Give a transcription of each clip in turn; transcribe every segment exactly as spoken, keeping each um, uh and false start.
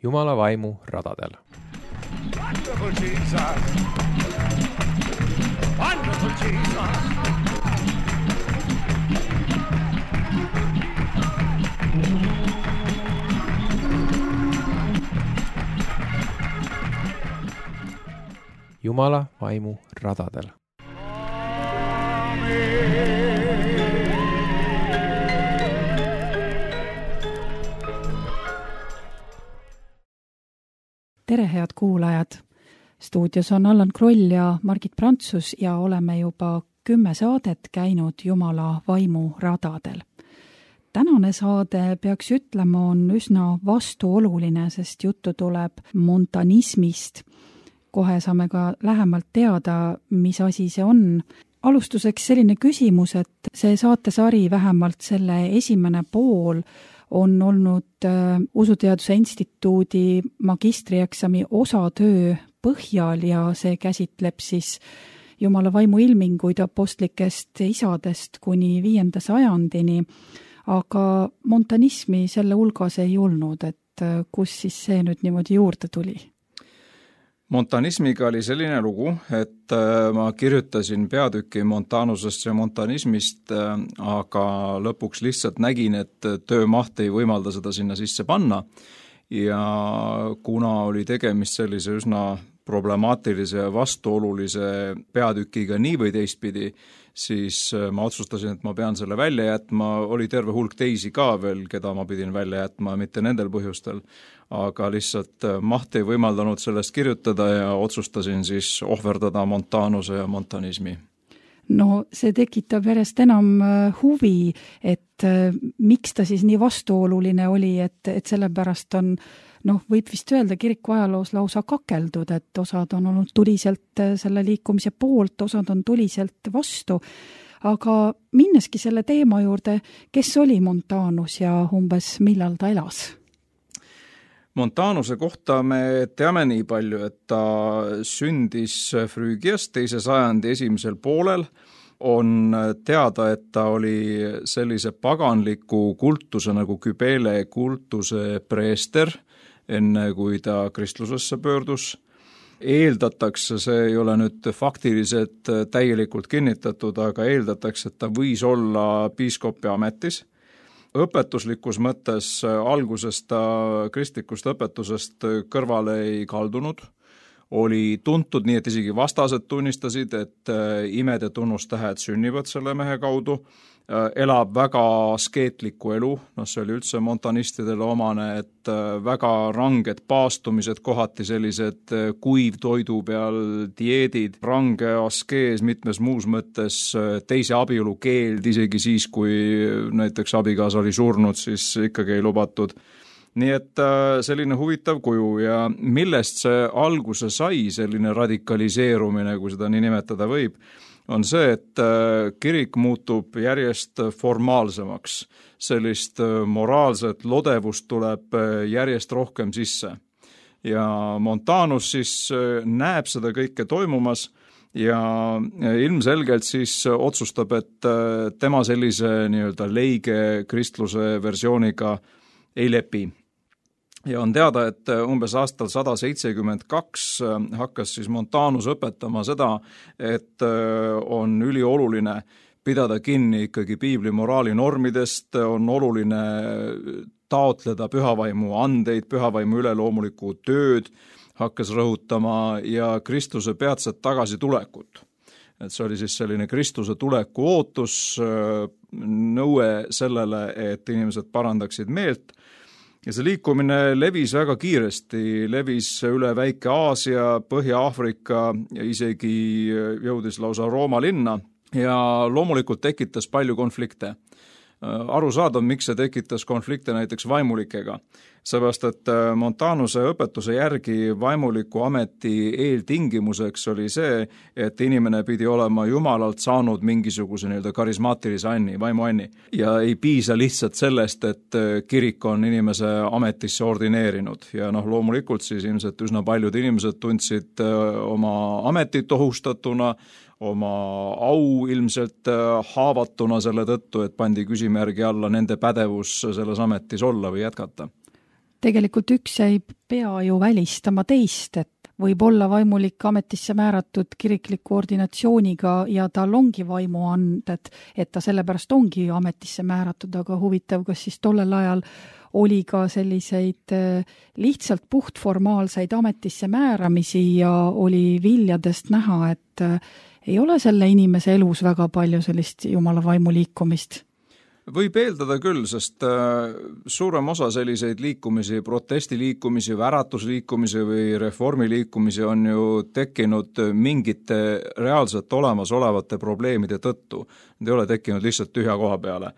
Jumala vaimu radadel. Wonderful Jesus. Wonderful Jesus. Jumala vaimu radadel. Tere, head kuulajad! Stuudios on Allan Kroll ja Margit Prantsus ja oleme juba kümme saadet käinud Jumala vaimu radadel. Tänane saade, peaks ütlema, on üsna vastuoluline, sest juttu tuleb montanismist. Kohe saame ka lähemalt teada, mis asi see on. Alustuseks selline küsimus, et see saatesari, vähemalt selle esimene pool, on olnud äh, Usuteaduse Instituudi magistrieksami osatöö põhjal ja see käsitleb siis Jumala vaimu ilminguid apostlikest isadest kuni viienda sajandini, aga montanismi selle hulgas ei olnud, et äh, kus siis see nüüd niimoodi juurde tuli? Montanismiga oli selline lugu, et ma kirjutasin peatüki montanusest ja montanismist, aga lõpuks lihtsalt nägin, et töömaht ei võimalda seda sinna sisse panna ja kuna oli tegemist sellise üsna problemaatilise ja vastuolulise peatükiga nii või teistpidi, siis ma otsustasin, et ma pean selle välja jätma. Oli terve hulk teisi ka veel, keda ma pidin välja jätma, mitte nendel põhjustel, aga lihtsalt maht ei võimaldanud sellest kirjutada ja otsustasin siis ohverdada montanuse ja montanismi. No see tekitab järjest enam huvi, et miks ta siis nii vastuoluline oli, et, et sellepärast on, noh, võib vist öelda kiriku ajaloos lausa kakeldud, et osad on olnud tuliselt selle liikumise poolt, osad on tuliselt vastu. Aga minneski selle teema juurde, kes oli Montanus ja umbes millal ta elas? Montanuse kohta me teame nii palju, et ta sündis Früügias teise sajandi esimesel poolel. On teada, et ta oli sellise paganliku kultuse nagu Kybele kultuse preester, enne kui ta kristlusesse pöördus. Eeldatakse, see ei ole nüüd faktiliselt täielikult kinnitatud, aga eeldatakse, et ta võis olla piiskopi ametis. Õpetuslikus mõttes algusest ta kristlikust õpetusest kõrvale ei kaldunud. Oli tuntud nii, et isegi vastased tunnistasid, et imed ja tunnustähed sünnivad selle mehe kaudu. Elab väga askeetlikku elu, no see oli üldse montanistidele omane, et väga ranged paastumised, kohati sellised kuivtoidu peal dieedid, range askees mitmes muus mõttes, teise abielu keeld, isegi siis, kui näiteks abikaasa oli surnud, siis ikkagi ei lubatud. Nii et selline huvitav kuju ja millest see alguse sai, selline radikaliseerumine, kui seda nii nimetada võib, on see, et kirik muutub järjest formaalsemaks. Sellist moraalset lodevust tuleb järjest rohkem sisse. Ja Montanus siis näeb seda kõike toimumas ja ilmselgelt siis otsustab, et tema sellise nii-öelda leige kristluse versiooniga ei lepi. Ja on teada, et umbes aastal sada seitsekümmend kaks hakkas siis Montanus õpetama seda, et on ülioluline pidada kinni ikkagi piibli moraali normidest, on oluline taotleda pühavaimu andeid, pühavaimu üleloomulikku tööd, hakkas rõhutama ja Kristuse peatset tagasitulekut. Et see oli siis selline Kristuse tuleku ootus, nõue sellele, et inimesed parandaksid meelt. Ja see liikumine levis väga kiiresti, levis üle Väike-Aasia, Põhja-Aafrika ja isegi jõudis lausa Rooma linna ja loomulikult tekitas palju konflikte. Aru saada, miks see tekitas konflikte näiteks vaimulikega. Seepärast, et Montanuse õpetuse järgi vaimuliku ameti eeltingimuseks oli see, et inimene pidi olema Jumalalt saanud mingisuguse nii-öelda karismaatilise anni, vaimu anni. Ja ei piisa lihtsalt sellest, et kirik on inimese ametisse ordineerinud. Ja noh, loomulikult siis ilmselt üsna paljud inimesed tundsid oma ametit ohustatuna, oma au ilmselt haavatuna selle tõttu, et pandi küsimärgi alla nende pädevus selles ametis olla või jätkata. Tegelikult üks ei pea ju välistama teist, et võib olla vaimulik ametisse määratud kirikliku ordinatsiooniga ja tal ongi vaimuanded, et ta sellepärast ongi ametisse määratud, aga huvitav, kas siis tollel ajal oli ka selliseid lihtsalt puhtformaalseid ametisse määramisi ja oli viljadest näha, et ei ole selle inimese elus väga palju sellist jumala vaimu liikumist. Võib eeldada küll, sest suurem osa selliseid liikumisi, protestiliikumisi, väratusliikumisi või reformiliikumisi on ju tekkinud mingite reaalselt olemasolevate probleemide tõttu. Need ei ole tekkinud lihtsalt tühja koha peale.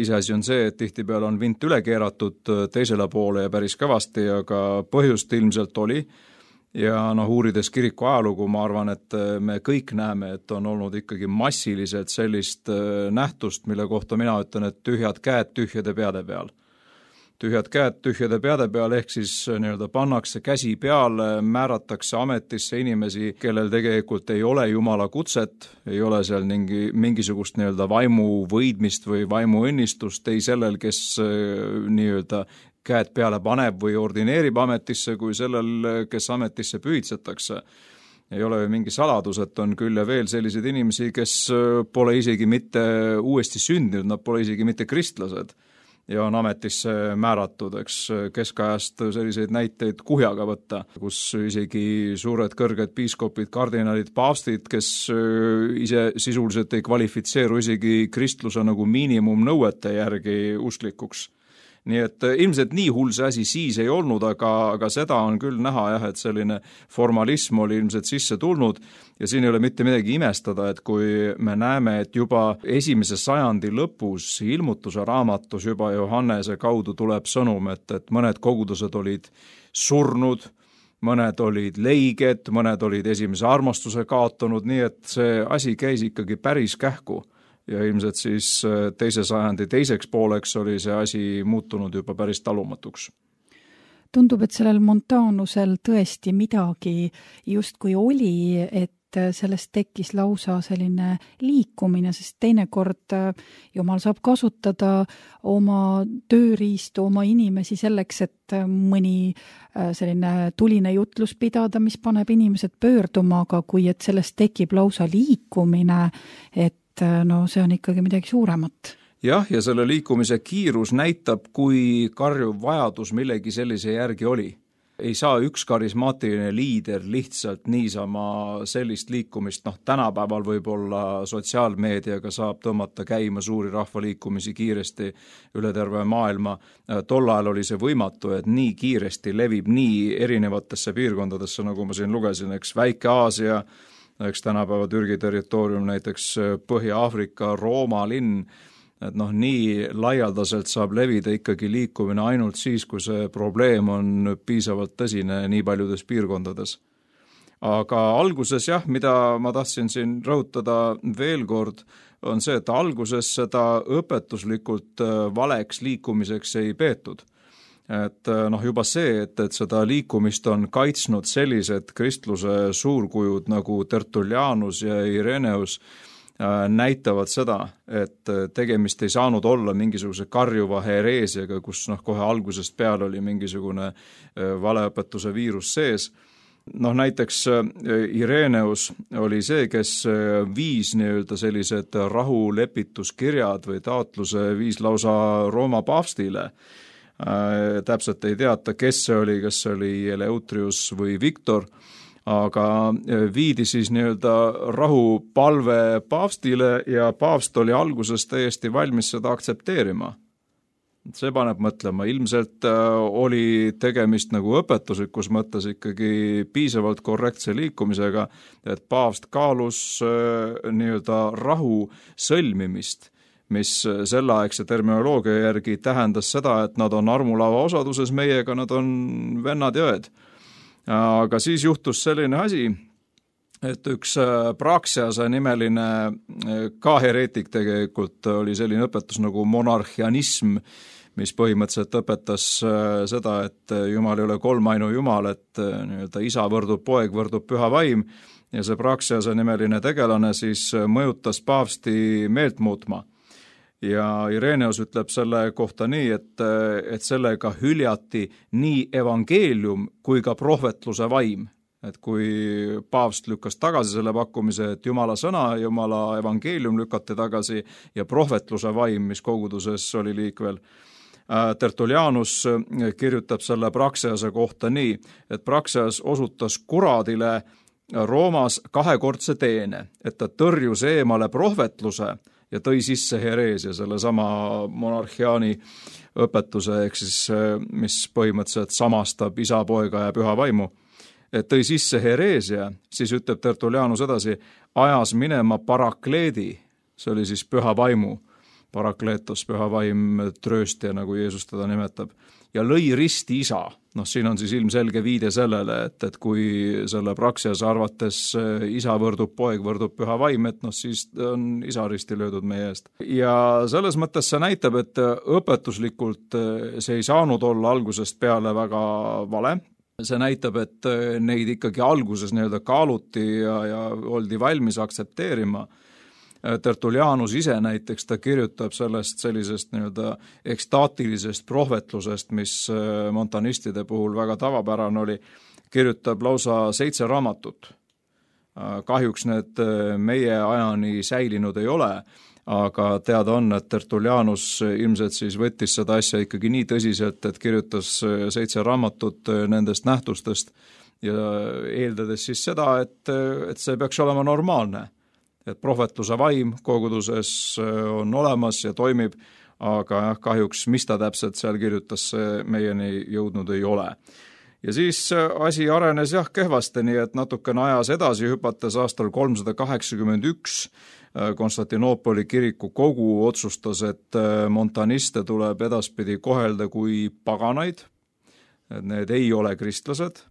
Iseasi on see, et tihtipeale on vint üle keeratud teisele poole ja päris kõvasti, aga põhjust ilmselt oli. Ja noh, uurides kiriku ajalugu, ma arvan, et me kõik näeme, et on olnud ikkagi massiliselt sellist nähtust, mille kohta mina ütlen, et tühjad käed tühjade peade peal. Tühjad käed tühjade peade peal ehk siis nii-öelda pannakse käsi peale, määratakse ametisse inimesi, kellel tegelikult ei ole jumala kutset, ei ole seal mingi, mingisugust nii-öelda vaimu võidmist või vaimu õnnistust, ei sellel, kes nii-öelda käed peale paneb või ordineerib ametisse, kui sellel, kes ametisse pühitsetakse. Ei ole ju mingi saladus, et on küll ja veel selliseid inimesi, kes pole isegi mitte uuesti sündinud, nad pole isegi mitte kristlased ja on ametisse määratud, eks keskajast selliseid näiteid kuhjaga võtta, kus isegi suured kõrged piiskopid, kardinalid, paavstid, kes ise sisuliselt ei kvalifitseeru isegi kristluse nagu miinimumnõuete järgi usklikuks. Nii et ilmselt nii hull see asi siis ei olnud, aga, aga seda on küll näha jah, et selline formalism oli ilmselt sisse tulnud ja siin ei ole mitte midagi imestada, et kui me näeme, et juba esimese sajandi lõpus ilmutuse raamatus juba Johannese kaudu tuleb sõnum, et, et mõned kogudused olid surnud, mõned olid leiged, mõned olid esimese armastuse kaotanud, nii et see asi käis ikkagi päris kähku. Ja ilmselt siis teise sajandi teiseks pooleks oli see asi muutunud juba päris talumatuks. Tundub, et sellel Montanusel tõesti midagi justkui oli, et sellest tekkis lausa selline liikumine, sest teinekord Jumal saab kasutada oma tööriistu, oma inimesi selleks, et mõni selline tuline jutlus pidada, mis paneb inimesed pöörduma, aga kui et sellest tekib lausa liikumine, et no see on ikkagi midagi suuremat. Jah, ja selle liikumise kiirus näitab, kui karjuv vajadus millegi sellise järgi oli. Ei saa üks karismaatiline liider lihtsalt niisama sellist liikumist, noh tänapäeval võib-olla sotsiaalmeediaga saab tõmmata käima suuri rahvaliikumisi kiiresti üle terve maailma. Tol ajal oli see võimatu, et nii kiiresti levib nii erinevatesse piirkondadesse, nagu ma siin lugesin, eks Väike-Aasia, eks tänapäeva Türgi territoorium, näiteks Põhja-Aafrika, Rooma linn, et noh, nii laialdaselt saab levida ikkagi liikumine ainult siis, kui see probleem on piisavalt tõsine nii paljudes piirkondades. Aga alguses jah, mida ma tahtsin siin rõhutada veel kord, on see, et alguses seda õpetuslikult valeks liikumiseks ei peetud. Et noh, juba see, et, et seda liikumist on kaitsnud sellised kristluse suurkujud nagu Tertullianus ja Ireneus äh, näitavad seda, et tegemist ei saanud olla mingisuguse karjuva hereesiaga, kus noh, kohe algusest peale oli mingisugune äh, valeõpetuse viirus sees. Noh, näiteks äh, Ireneus oli see, kes äh, viis nii-öelda sellised rahulepituskirjad või taotluse viis lausa Rooma paavstile. Äh, täpselt ei teata, kes see oli, kas see oli Eleutrius või Viktor, aga viidi siis nii-öelda rahupalve paavstile ja paavst oli alguses täiesti valmis seda aktsepteerima. See paneb mõtlema, ilmselt oli tegemist nagu õpetuslikus mõttes ikkagi piisavalt korrektse liikumisega, et paavst kaalus nii-öelda rahu sõlmimist, mis selleaegse terminoloogia järgi tähendas seda, et nad on armulava osaduses meiega, nad on vennad ja õed. Aga siis juhtus selline asi, et üks Praxiase nimeline ka hereetik tegelikult oli selline õpetus nagu monarhianism, mis põhimõtteliselt õpetas seda, et Jumal ei ole kolmainu Jumal, et nii-öelda isa võrdub poeg, võrdub püha vaim ja see Praxiase nimeline tegelane siis mõjutas paavsti meelt muutma. ja Ireneus ütleb selle kohta nii, et, et sellega hüljati nii evangeelium kui ka prohvetluse vaim. Et kui paavst lükkas tagasi selle pakkumise, et Jumala sõna, Jumala evangeelium lükati tagasi ja prohvetluse vaim, mis koguduses oli liikvel. Tertullianus kirjutab selle Praxease kohta nii, et Praxeas osutas kuradile Roomas kahekordse teene, et ta tõrjus eemale prohvetluse ja tõi sisse hereesia, selle sama monarhiaani õpetuse, ehk siis mis põhimõtteliselt samastab isa, poega ja püha vaimu. Et tõi sisse hereesia, siis ütleb Tertullianus edasi, ajas minema parakleedi, see oli siis püha vaimu, parakleetos, püha vaim, trööstja, nagu Jeesus teda nimetab, ja lõi risti isa. Noh, siin on siis ilmselge viide sellele, et, et kui selle Praxease arvates isa võrdub poeg, võrdub püha vaim, et noh, siis on isa risti löödud meie eest. Ja selles mõttes see näitab, et õpetuslikult see ei saanud olla algusest peale väga vale. See näitab, et neid ikkagi alguses nii-öelda kaaluti ja, ja oldi valmis aktsepteerima. Tertullianus ise näiteks, ta kirjutab sellest sellisest nii-öelda ekstaatilisest prohvetlusest, mis montanistide puhul väga tavapärane oli, kirjutab lausa seitse raamatut. Kahjuks need meie ajani säilinud ei ole, aga teada on, et Tertullianus ilmselt siis võttis seda asja ikkagi nii tõsiselt, et kirjutas seitse raamatut nendest nähtustest ja eeldades siis seda, et, et see peaks olema normaalne. Et prohvetluse vaim koguduses on olemas ja toimib, aga jah, kahjuks mis ta täpselt seal kirjutas, see meieni jõudnud ei ole. Ja siis asi arenes jah kehvasti, nii et natukene ajas edasi hüpates aastal kolmsada kaheksakümmend üks Konstantinoopoli kiriku kogu otsustas, et montaniste tuleb edaspidi kohelda kui paganaid, et need ei ole kristlased.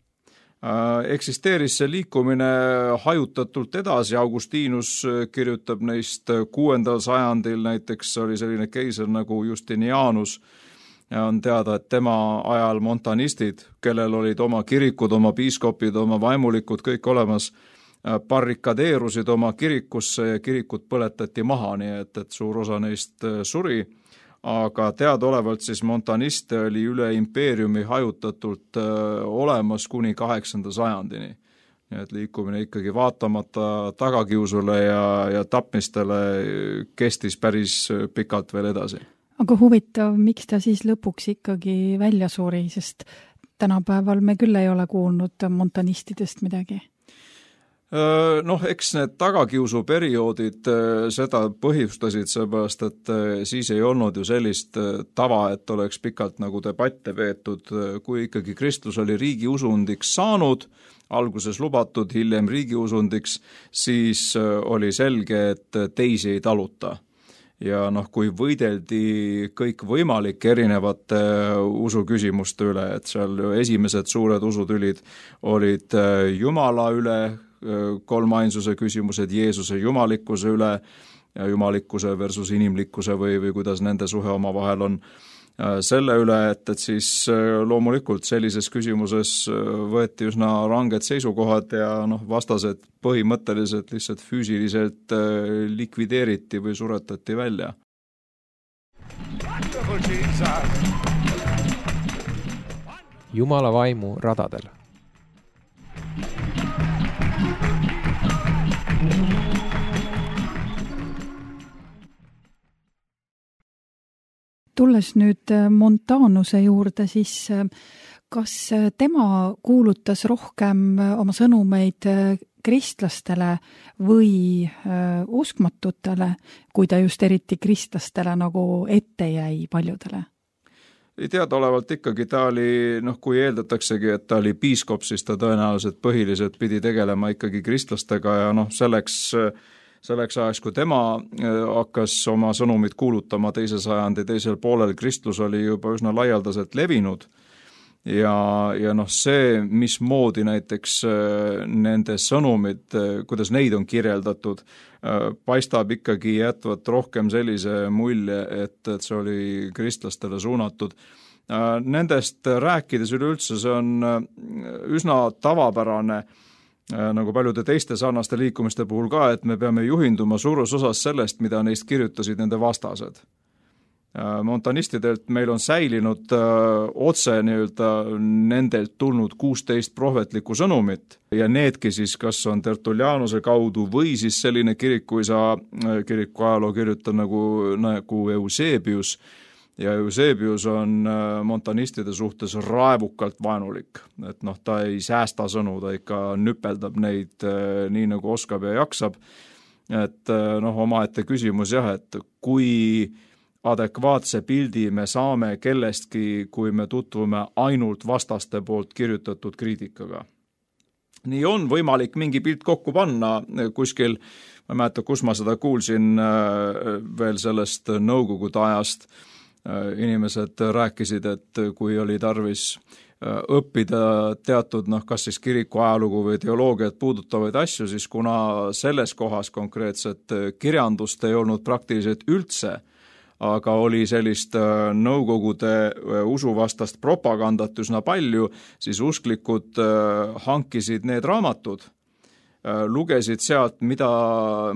Eksisteeris see liikumine hajutatult edasi, Augustinus kirjutab neist kuuendal sajandil, näiteks oli selline keiser nagu Justinianus, ja on teada, et tema ajal montanistid, kellel olid oma kirikud, oma piiskopid, oma vaimulikud, kõik olemas, barrikadeerusid oma kirikusse ja kirikut põletati maha, nii et, et suur osa neist suri, aga teadaolevalt siis montaniste oli üle impeeriumi hajutatult olemas kuni kaheksanda sajandini. Nii et liikumine ikkagi vaatamata tagakiusule ja, ja tapmistele kestis päris pikalt veel edasi. Aga huvitav, miks ta siis lõpuks ikkagi välja suri, sest tänapäeval me küll ei ole kuulnud montanistidest midagi? Noh, eks need tagakiusuperioodid seda põhjustasid, seepärast, et siis ei olnud ju sellist tava, et oleks pikalt nagu debatte veetud, kui ikkagi kristlus oli riigiusundiks saanud, alguses lubatud, hiljem riigiusundiks, siis oli selge, et teisi ei taluta. Ja noh, kui võideldi kõik võimalik erinevate usuküsimuste üle, et seal ju esimesed suured usutülid olid Jumala üle, kolmainsuse küsimused Jeesuse jumalikkuse üle, jumalikkuse versus inimlikkuse või, või kuidas nende suhe oma vahel on selle üle, et, et siis loomulikult sellises küsimuses võeti üsna ranged seisukohad ja noh, vastased põhimõtteliselt lihtsalt füüsiliselt likvideeriti või suretati välja. Jumala vaimu radadel. Tulles nüüd Montanuse juurde, siis kas tema kuulutas rohkem oma sõnumeid kristlastele või uskmatutele, kui ta just eriti kristlastele nagu ette jäi paljudele? Teadaolevalt ikkagi ta oli, noh kui eeldataksegi, et ta oli piiskop, siis ta tõenäoliselt põhiliselt pidi tegelema ikkagi kristlastega ja noh selleks Selleks ajaks, kui tema hakkas oma sõnumit kuulutama teise sajandi teisel poolel, kristlus oli juba üsna laialdaselt levinud ja, ja noh see, mismoodi näiteks nende sõnumid, kuidas neid on kirjeldatud, paistab ikkagi jätvat rohkem sellise mulje, et, et see oli kristlastele suunatud. Nendest rääkides üleüldse see on üsna tavapärane, nagu paljude teiste sarnaste liikumiste puhul ka, et me peame juhinduma suures osas sellest, mida neist kirjutasid nende vastased. Montanistidelt meil on säilinud otse nii-öelda nendelt tulnud kuusteist prohvetlikku sõnumit ja needki siis kas on Tertullianuse kaudu või siis selline kirikuisa, kiriku ajaloo kirjutab nagu, nagu Eusebius ja Eusebius on montanistide suhtes raevukalt vaenulik, et noh, ta ei säästa sõnu, ta ikka nüpeldab neid nii nagu oskab ja jaksab, et noh, omaette küsimus jah, et kui adekvaatse pildi me saame kellestki, kui me tutvume ainult vastaste poolt kirjutatud kriitikaga. Nii on võimalik mingi pilt kokku panna kuskil, ma ei mäleta, kus ma seda kuulsin veel sellest nõukogude ajast. Inimesed rääkisid, et kui oli tarvis õppida teatud, noh, kas siis kiriku ajalugu või teoloogiat puudutavaid asju, siis kuna selles kohas konkreetset kirjandust ei olnud praktiliselt üldse, aga oli sellist nõukogude usuvastast propagandat üsna palju, siis usklikud hankisid need raamatud, lugesid sealt, mida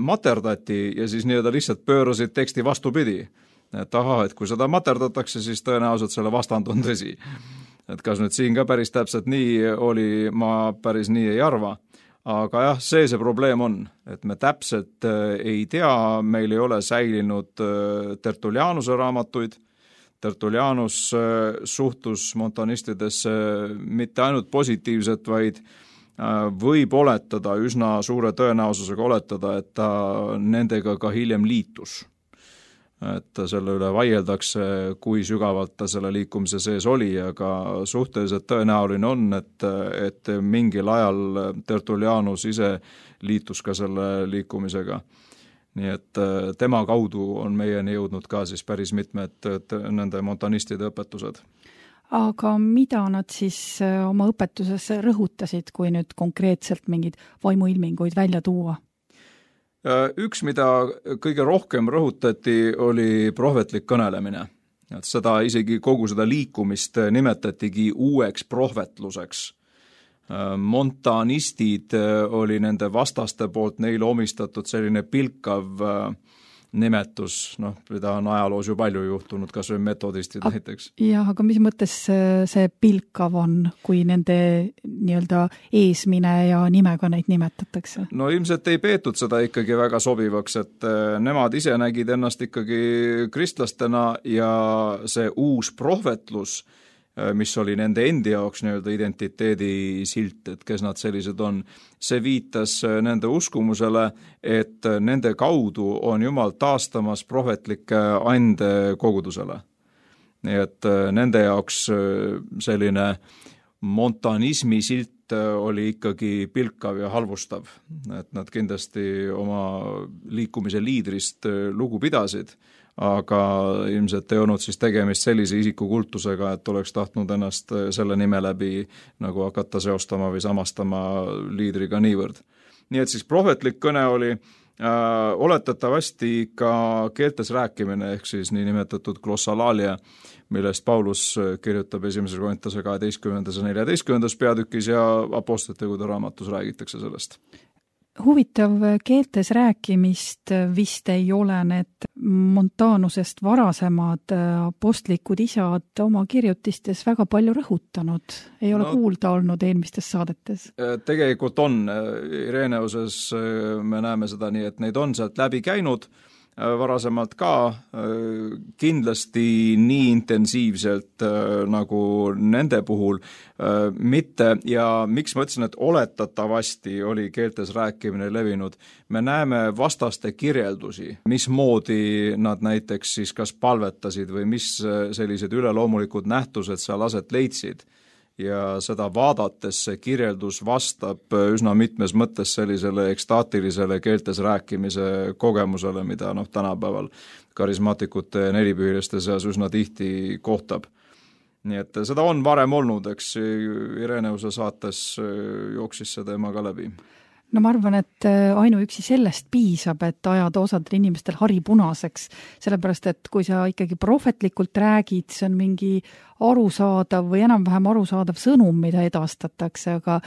materdati ja siis nii-öelda lihtsalt pöörasid teksti vastupidi. Et aha, et kui seda materdatakse, siis tõenäoliselt selle vastand on tõsi. Et kas nüüd siin ka päris täpselt nii oli, ma päris nii ei arva. Aga jah, see see probleem on, et me täpselt ei tea, meil ei ole säilinud Tertullianuse raamatuid. Tertullianus suhtus montanistidesse mitte ainult positiivset, vaid võib oletada, üsna suure tõenäosusega oletada, et ta nendega ka hiljem liitus. Et selle üle vaieldakse, kui sügavalt ta selle liikumise sees oli, aga suhteliselt tõenäoline on, et, et mingil ajal Tertullianus ise liitus ka selle liikumisega. Nii et tema kaudu on meieni jõudnud ka siis päris mitmed nende montanistide õpetused. Aga mida nad siis oma õpetuses rõhutasid, kui nüüd konkreetselt mingid vaimuilminguid välja tuua? Üks, mida kõige rohkem rõhutati, oli prohvetlik kõnelemine. Et seda isegi kogu seda liikumist nimetatigi uueks prohvetluseks. Montanistid oli nende vastaste poolt neile omistatud selline pilkav nimetus, noh, mida on ajaloos ju palju juhtunud, kas või metodistid A, näiteks. Jah, aga mis mõttes see pilkav on, kui nende nii-öelda eesmine ja nimega neid nimetatakse? No ilmselt ei peetud seda ikkagi väga sobivaks, et nemad ise nägid ennast ikkagi kristlastena ja see uus prohvetlus, mis oli nende endi jaoks nii-öelda identiteedi silt, et kes nad sellised on. See viitas nende uskumusele, et nende kaudu on Jumal taastamas prohvetlike ande kogudusele. Nii et nende jaoks selline montanismi silt oli ikkagi pilkav ja halvustav, et nad kindlasti oma liikumise liidrist lugu pidasid, aga ilmselt ei olnud siis tegemist sellise isikukultusega, et oleks tahtnud ennast selle nime läbi nagu hakata seostama või samastama liidriga niivõrd. Nii et siis prohvetlik kõne oli äh, oletatavasti ka keeltes rääkimine, ehk siis nii nimetatud glossalalia, millest Paulus kirjutab esimese Korintuse kaheteistkümnendas ja neljateistkümnendas peatükis ja apostlitegude raamatus räägitakse sellest. Huvitav, keeltes rääkimist vist ei ole need Montanusest varasemad apostlikud isad oma kirjutistes väga palju rõhutanud. Ei ole no, kuulda olnud eelmistes saadetes. Tegelikult on. Ireneuses me näeme seda nii, et neid on sealt läbi käinud varasemalt ka, kindlasti nii intensiivselt nagu nende puhul mitte ja miks ma ütlesin, et oletatavasti oli keeltes rääkimine levinud. Me näeme vastaste kirjeldusi, mismoodi nad näiteks siis kas palvetasid või mis sellised üleloomulikud nähtused seal aset leidsid. Ja seda vaadates see kirjeldus vastab üsna mitmes mõttes sellisele ekstaatilisele keeltes rääkimise kogemusele, mida noh, tänapäeval karismaatikute ja nelipühiliste seas üsna tihti kohtab. Nii et seda on varem olnud, eks Ireneuse saates jooksis see teema ka läbi. No ma arvan, et ainuüksi sellest piisab, et ajada osadel inimestel hari punaseks, sellepärast, et kui sa ikkagi prohvetlikult räägid, see on mingi arusaadav või enam-vähem arusaadav sõnum, mida edastatakse, aga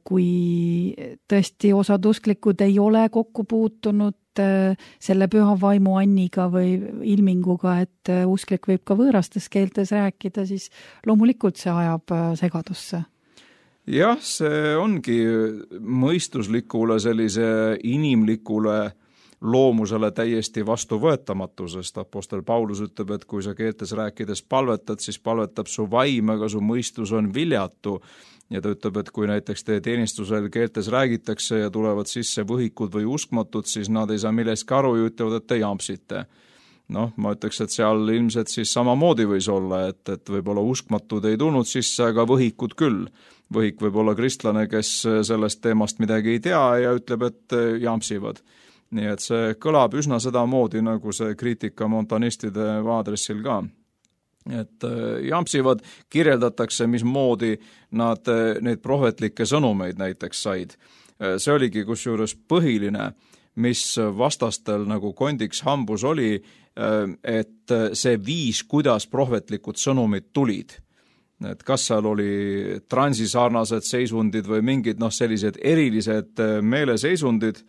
kui tõesti osad usklikud ei ole kokku puutunud selle püha vaimu anniga või ilminguga, et usklik võib ka võõrastes keeltes rääkida, siis loomulikult see ajab segadusse. Jah, see ongi mõistuslikule sellise inimlikule loomusele täiesti vastuvõetamatu, sest apostel Paulus ütleb, et kui sa keeltes rääkides palvetad, siis palvetab su vaim, aga su mõistus on viljatu. Ja ta ütleb, et kui näiteks teie teenistusel keeltes räägitakse ja tulevad sisse võhikud või uskmatud, siis nad ei saa millestki aru ja ütlevad, et te jampsite. Noh, ma ütleks, et seal ilmselt siis samamoodi võis olla, et, et võib-olla uskmatud ei tulnud sisse, aga võhikud küll. Võhik võib olla kristlane, kes sellest teemast midagi ei tea ja ütleb, et jampsivad. Nii et see kõlab üsna sedamoodi, nagu see kriitika montanistide aadressil ka. Et jampsivad kirjeldatakse, mismoodi nad neid prohvetlikke sõnumeid näiteks said. See oligi kusjuures põhiline, mis vastastel nagu kondiks hambus oli, et see viis, kuidas prohvetlikud sõnumid tulid. Et kas seal oli transisarnased seisundid või mingid noh, sellised erilised meeleseisundid,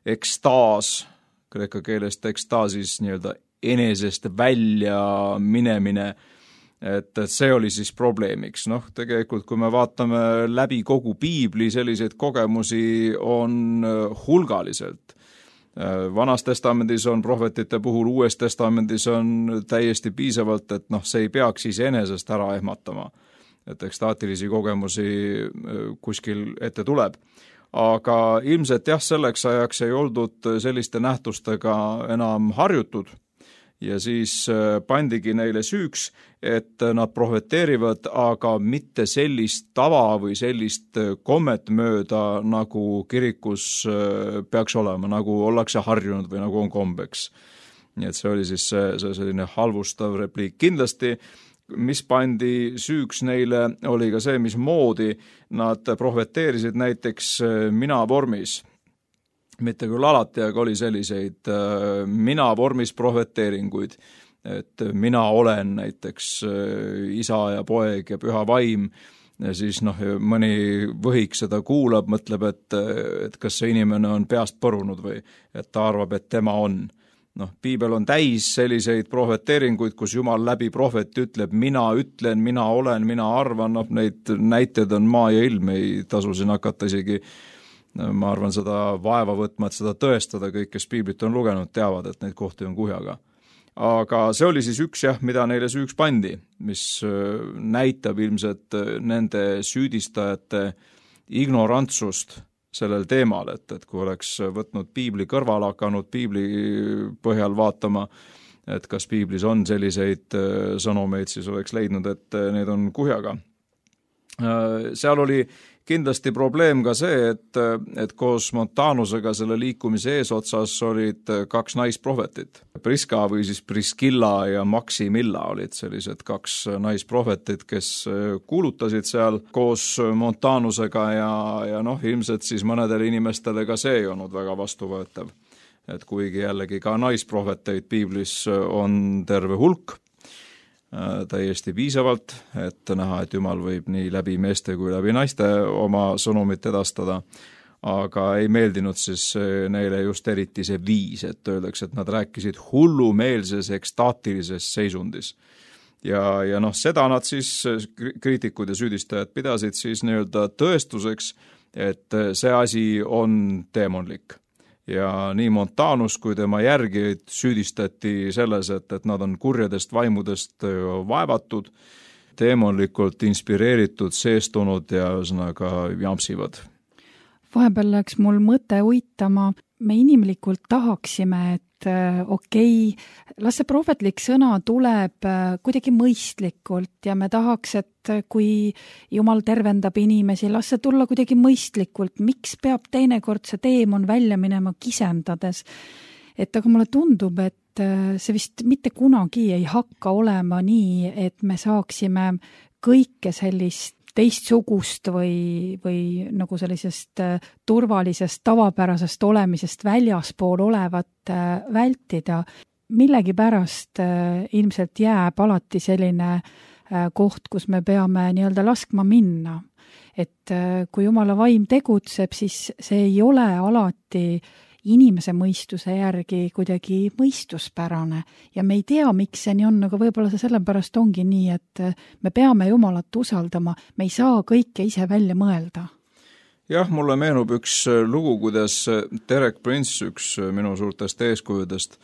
ekstaas, kreeka keelest ekstaasis nii-öelda enesest välja minemine, et, et see oli siis probleemiks. Noh, tegelikult kui me vaatame läbi kogu piibli, selliseid kogemusi on hulgaliselt. Vanas testamendis on prohvetite puhul, uues testamendis on täiesti piisavalt, et noh, see ei peaks iseenesest ära ehmatama. Et ekstaatilisi kogemusi kuskil ette tuleb. Aga ilmselt jah, selleks ajaks ei oldud selliste nähtustega enam harjutud ja siis pandigi neile süüks, et nad prohveteerivad, aga mitte sellist tava või sellist kommet mööda, nagu kirikus peaks olema, nagu ollakse harjunud või nagu on kombeks. Nii et see oli siis see, see selline halvustav repliik. Kindlasti mis pandi süüks neile, oli ka see, mismoodi nad prohveteerisid näiteks mina vormis. Mitte küll alati, aga oli selliseid mina vormis prohveteeringuid, et mina olen näiteks isa ja poeg ja püha vaim, ja siis noh, mõni võhik seda kuulab, mõtleb, et, et kas see inimene on peast põrunud või et ta arvab, et tema on. Noh, piibel on täis selliseid prohveteeringuid, kus Jumal läbi prohveti ütleb, mina ütlen, mina olen, mina arvan, noh, neid näiteid on maa ja ilm, ei tasu siin hakata isegi, ma arvan, seda vaeva võtma, et seda tõestada, kõik, kes piiblit on lugenud, teavad, et neid kohti on kuhjaga. Aga see oli siis üks jah, mida neile süüks pandi, mis näitab ilmselt nende süüdistajate ignorantsust sellel teemal, et, et kui oleks võtnud piibli kõrval, hakanud piibli põhjal vaatama, et kas piiblis on selliseid sõnumeid, siis oleks leidnud, et need on kuhjaga. Seal oli kindlasti probleem ka see, et, et koos Montanusega selle liikumise eesotsas olid kaks naisprohvetit. Priska või siis Priskilla ja Maximilla olid sellised kaks naisprohvetit, kes kuulutasid seal koos Montanusega ja, ja noh, ilmselt siis mõnedele inimestele ka see ei olnud väga vastuvõetav. Et kuigi jällegi ka naisprohveteid piiblis on terve hulk, täiesti piisavalt, et näha, et Jumal võib nii läbi meeste kui läbi naiste oma sõnumit edastada, aga ei meeldinud siis neile just eriti see viis, et öeldakse, et nad rääkisid hullumeelses ekstaatilises seisundis. Ja, ja noh, seda nad siis, kriitikud ja süüdistajad pidasid siis nii-öelda tõestuseks, et see asi on teemonlik. Ja nii Montanus kui tema järgijaid süüdistati selles, et, et nad on kurjadest vaimudest vaevatud, teemonlikult inspireeritud, seestunud ja ühesõnaga jampsivad. Vahepeal läks mul mõte uitama, me inimlikult tahaksime, et okei, okay, las see prohvetlik sõna tuleb kuidagi mõistlikult ja me tahaks, et kui Jumal tervendab inimesi, las see tulla kuidagi mõistlikult. Miks peab teinekord see teemon välja minema kisendades? Et aga mulle tundub, et see vist mitte kunagi ei hakka olema nii, et me saaksime kõike sellist teistsugust või, või nagu sellisest turvalisest, tavapärasest olemisest väljaspool olevat vältida. Millegipärast ilmselt jääb alati selline koht, kus me peame nii-öelda laskma minna. Et kui Jumala vaim tegutseb, siis see ei ole alati inimese mõistuse järgi kuidagi mõistuspärane ja me ei tea, miks see nii on, aga võib-olla see sellepärast ongi nii, et me peame Jumalat usaldama, me ei saa kõike ise välja mõelda. Jah, mulle meenub üks lugu, kuidas Derek Prince, üks minu suurtest eeskujudest,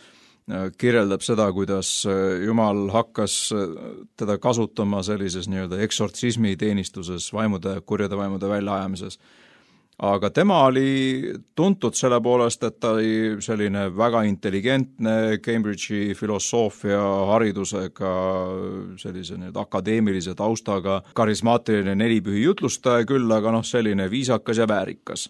kirjeldab seda, kuidas Jumal hakkas teda kasutama sellises nii-öelda eksortsismi teenistuses, vaimude, kurjade vaimude väljaajamises. Aga tema oli tuntud selle poolest, et ta oli selline väga intelligentne Cambridge'i filosoofia haridusega, sellise nii-öelda akadeemilise taustaga, karismaatiline nelipühi jutlustaja küll, aga noh, selline viisakas ja väärikas.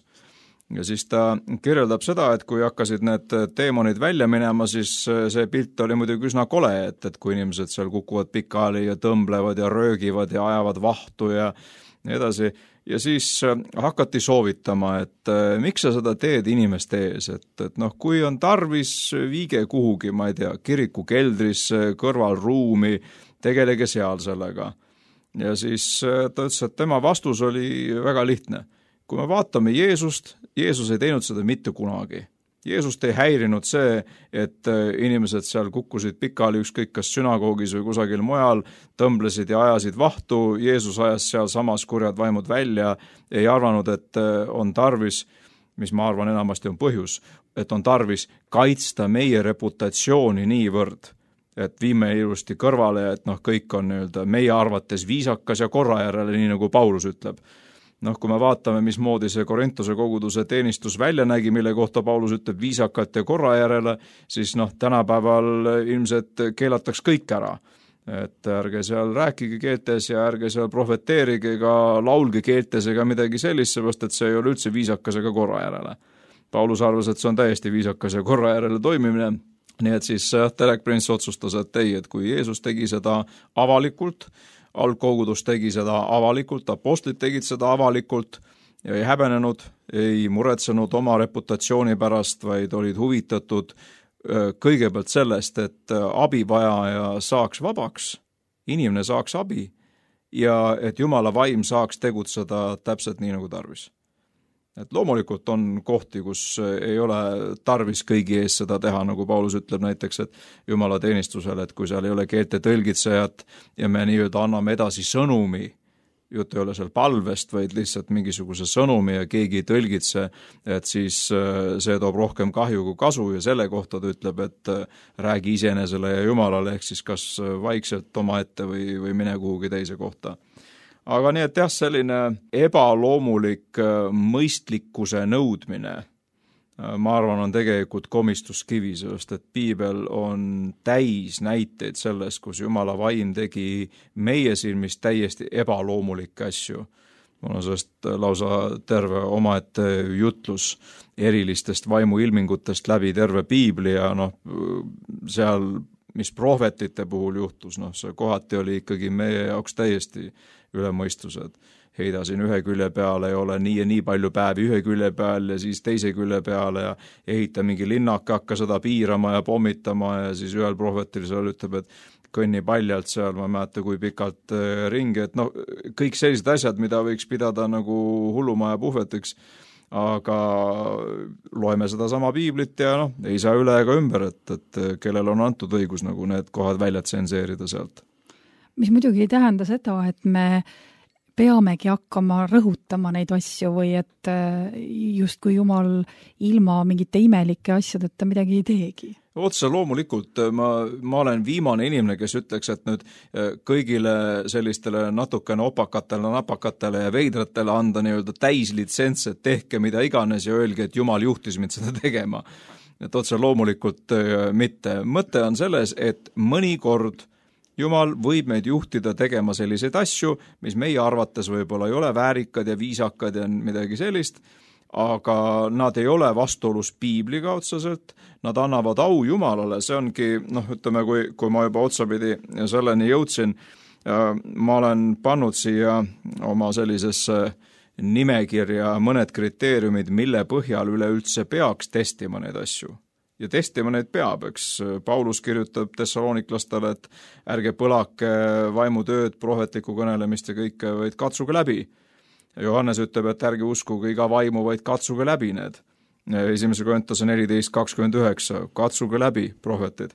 Ja siis ta kirjeldab seda, et kui hakkasid need teemonid välja minema, siis see pilt oli muidugi üsna kole, et, et kui inimesed seal kukuvad pikali ja tõmblevad ja röögivad ja ajavad vahtu ja nii edasi. Ja siis hakati soovitama, et miks sa seda teed inimeste ees, et, et noh, kui on tarvis, viige kuhugi, ma ei tea, kiriku keldrisse, kõrvalruumi, tegelege seal sellega. Ja siis ta ütles, et tema vastus oli väga lihtne. Kui me vaatame Jeesust, Jeesus ei teinud seda mitte kunagi. Jeesust ei häirinud see, et inimesed seal kukkusid pikali ükskõik kas sünagoogis või kusagil mujal, tõmblesid ja ajasid vahtu, Jeesus ajas seal samas kurjad vaimud välja, ei arvanud, et on tarvis, mis ma arvan enamasti on põhjus, et on tarvis kaitsta meie reputatsiooni niivõrd, et viime ilusti kõrvale, et noh, kõik on nii-öelda meie arvates viisakas ja korra järele, nii nagu Paulus ütleb. Noh, kui me vaatame, mismoodi see Korintuse koguduse teenistus välja nägi, mille kohta Paulus ütleb viisakat ja korra järele, siis noh, tänapäeval ilmselt keelataks kõik ära. Et ärge seal rääkige keeltes ja ärge seal profeteerige ega laulge keeltes ega midagi sellist, seepärast et see ei ole üldse viisakas ega korra järele. Paulus arvas, et see on täiesti viisakas ja korra järele toimimine, nii et siis Derek Prince otsustas, et ei, et kui Jeesus tegi seda avalikult, algkogudus tegi seda avalikult, apostlid tegid seda avalikult ja ei häbenenud, ei muretsenud oma reputatsiooni pärast, vaid olid huvitatud kõigepealt sellest, et abivajaja saaks vabaks, inimene saaks abi ja et Jumala vaim saaks tegutseda täpselt nii, nagu tarvis. Et loomulikult on kohti, kus ei ole tarvis kõigi ees seda teha, nagu Paulus ütleb näiteks, et Jumala teenistusele, et kui seal ei ole keelte tõlgitsejat ja me nii-öelda anname edasi sõnumi, jutt ei ole seal palvest, vaid lihtsalt mingisuguse sõnumi ja keegi ei tõlgitse, et siis see toob rohkem kahju kui kasu ja selle kohta ta ütleb, et räägi iseenesele ja Jumalale, ehk siis kas vaikselt omaette või, või mine kuhugi teise kohta. Aga nii, et jah, selline ebaloomulik mõistlikkuse nõudmine, ma arvan, on tegelikult komistuskivi, sest et piibel on täis näiteid sellest, kus Jumala vaim tegi meie silmis täiesti ebaloomulikke asju. Mul on sellest lausa terve omaette jutlus erilistest vaimuilmingutest läbi terve piibli ja noh, seal, mis prohvetite puhul juhtus, noh, see kohati oli ikkagi meie jaoks täiesti üle mõistused. Heida siin ühe külje peale ja ole nii ja nii palju päevi ühe külje peal ja siis teise külje peale ja ehita mingi linnaka, hakka seda piirama ja pommitama ja siis ühel prohvetil seal ütleb, et kõnni paljalt seal, ma ei mäleta, kui pikalt ringi, et noh, kõik sellised asjad, mida võiks pidada nagu hullumaja puhvetiks, aga loeme seda sama piiblit ja noh, ei saa üle ega ümber, et, et kellel on antud õigus nagu need kohad välja tsenseerida sealt. Mis muidugi ei tähenda seda, et me peamegi hakkama rõhutama neid asju või et just kui Jumal ilma mingite imelike asjadeta midagi ei teegi. Otse loomulikult ma, ma olen viimane inimene, kes ütleks, et nüüd kõigile sellistele natukene opakatele, napakatele ja veidratele anda nii-öelda täislitsents, et tehke mida iganes ja öelge, et Jumal juhtis mind seda tegema. Et otse loomulikult mitte. Mõte on selles, et mõnikord Jumal võib meid juhtida tegema selliseid asju, mis meie arvates võib-olla ei ole väärikad ja viisakad ja midagi sellist, aga nad ei ole vastuolus piibliga otseselt, nad annavad au Jumalale, see ongi, noh, ütleme, kui, kui ma juba otsapidi selleni jõudsin, ma olen pannud siia oma sellisesse nimekirja mõned kriteeriumid, mille põhjal üleüldse peaks testima neid asju. Ja testima neid peab, eks Paulus kirjutab Thessaloniklastele, et ärge põlake vaimutööd, prohvetlikku kõnelemist ja kõike, vaid katsuge läbi. Johannes ütleb, et ärge uskuge iga vaimu, vaid katsuge läbi need. esimese Korintuse neliteist kakskümmend üheksa, katsuge läbi, prohvetid.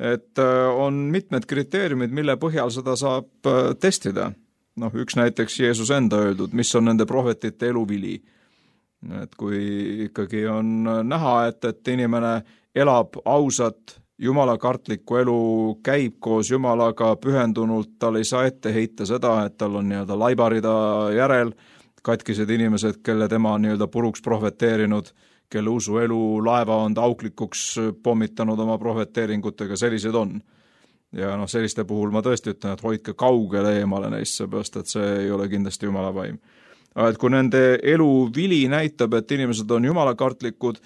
Et on mitmed kriteeriumid, mille põhjal seda saab testida. Noh, üks näiteks Jeesus enda öeldud, mis on nende prohvetite eluvili. Et kui ikkagi on näha, et, et inimene elab ausat, jumalakartlikku elu, käib koos Jumalaga pühendunult, tal ei saa ette heita seda, et tal on nii-öelda laibarida järel, katkised inimesed, kelle tema on nii-öelda puruks prohveteerinud, kelle usuelu laeva on auklikuks pommitanud oma prohveteeringutega, sellised on. Ja noh, selliste puhul ma tõesti ütlen, et hoidke kaugele eemale neist, seepärast, et see ei ole kindlasti Jumala vaim. Et kui nende elu vili näitab, et inimesed on jumalakartlikud,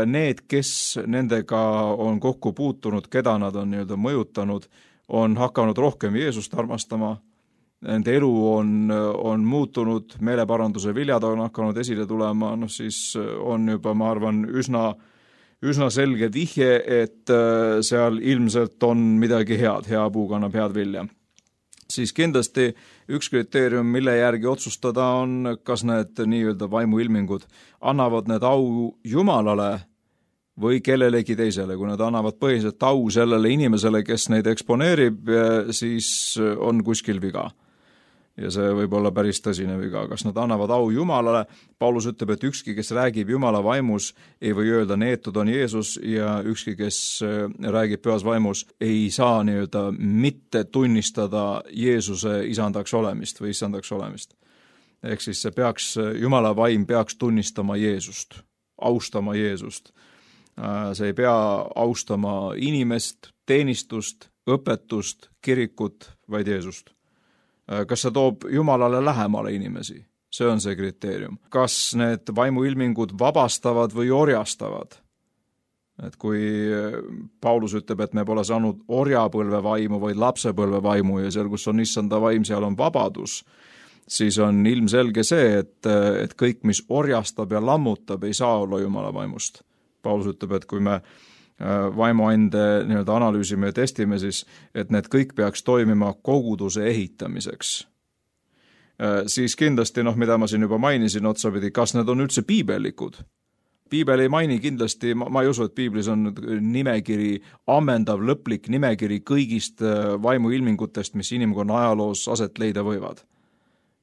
need, kes nendega on kokku puutunud, keda nad on nii-öelda mõjutanud, on hakanud rohkem Jeesust armastama, nende elu on, on muutunud, meeleparanduse viljad on hakanud esile tulema, noh siis on juba, ma arvan, üsna, üsna selge vihje, et seal ilmselt on midagi head, hea puu kannab head vilja. Siis kindlasti üks kriteerium, mille järgi otsustada on, kas need nii-öelda vaimuilmingud annavad need au Jumalale või kellelegi teisele. Kui nad annavad põhiliselt au sellele inimesele, kes neid eksponeerib, siis on kuskil viga. Ja see võib olla päris tõsine viga. Kas nad annavad au Jumalale? Paulus ütleb, et ükski, kes räägib Jumala vaimus, ei või öelda, neetud on Jeesus, ja ükski, kes räägib pühas vaimus, ei saa nii-öelda mitte tunnistada Jeesuse isandaks olemist või isandaks olemist. Ehk siis see peaks, Jumala vaim peaks tunnistama Jeesust, austama Jeesust. See ei pea austama inimest, teenistust, õpetust, kirikut, vaid Jeesust. Kas see toob Jumalale lähemale inimesi? See on see kriteerium. Kas need vaimuilmingud vabastavad või orjastavad? Et kui Paulus ütleb, et me pole saanud orjapõlve vaimu, vaid lapsepõlve vaimu ja seal, kus on issanda vaim, seal on vabadus, siis on ilmselge see, et, et kõik, mis orjastab ja lammutab, ei saa olla Jumala vaimust. Paulus ütleb, et kui me vaimuande nii-öelda analüüsime ja testime, siis et need kõik peaks toimima koguduse ehitamiseks. Siis kindlasti, noh, mida ma siin juba mainisin otsapidi, kas need on üldse piibellikud? Piibel ei maini kindlasti, ma, ma ei usu, et piiblis on nimekiri, ammendav, lõplik nimekiri kõigist vaimuilmingutest, mis inimkonna ajaloos aset leida võivad.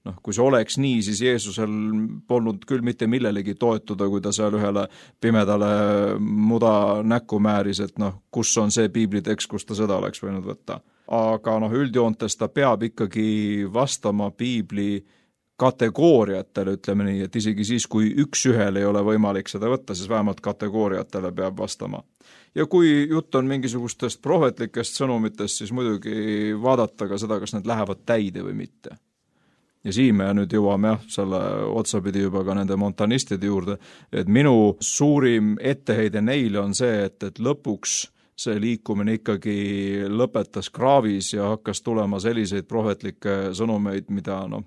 Noh, kui see oleks nii, siis Jeesusel polnud küll mitte millelegi toetuda, kui ta seal ühele pimedale muda näkku määris, et noh, kus on see piiblitekst, kus ta seda oleks võinud võtta. Aga noh, üldjoontes ta peab ikkagi vastama piibli kategooriatele, ütleme nii, et isegi siis, kui üks ühel ei ole võimalik seda võtta, siis vähemalt kategooriatele peab vastama. Ja kui jutt on mingisugustest prohvetlikest sõnumitest, siis muidugi vaadata ka seda, kas need lähevad täide või mitte. Ja siin me nüüd jõuame jah, selle otsapidi juba ka nende montanistide juurde, et minu suurim etteheide neile on see, et, et lõpuks see liikumine ikkagi lõpetas kraavis ja hakkas tulema selliseid prohvetlikke sõnumeid, mida noh,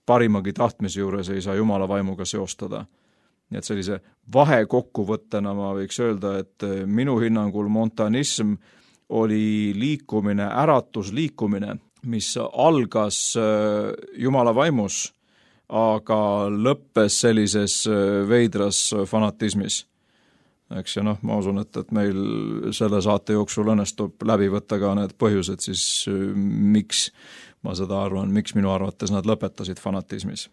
parimagi tahtmise juures ei saa Jumala vaimuga seostada. Nii et sellise vahekokkuvõttena ma võiks öelda, et minu hinnangul montanism oli liikumine, äratusliikumine, mis algas Jumala vaimus, aga lõppes sellises veidras fanatismis. Eks ja noh, ma usun, et, et meil selle saate jooksul õnnestub läbi võtta ka need põhjused, siis miks ma seda arvan, miks minu arvates nad lõpetasid fanatismis.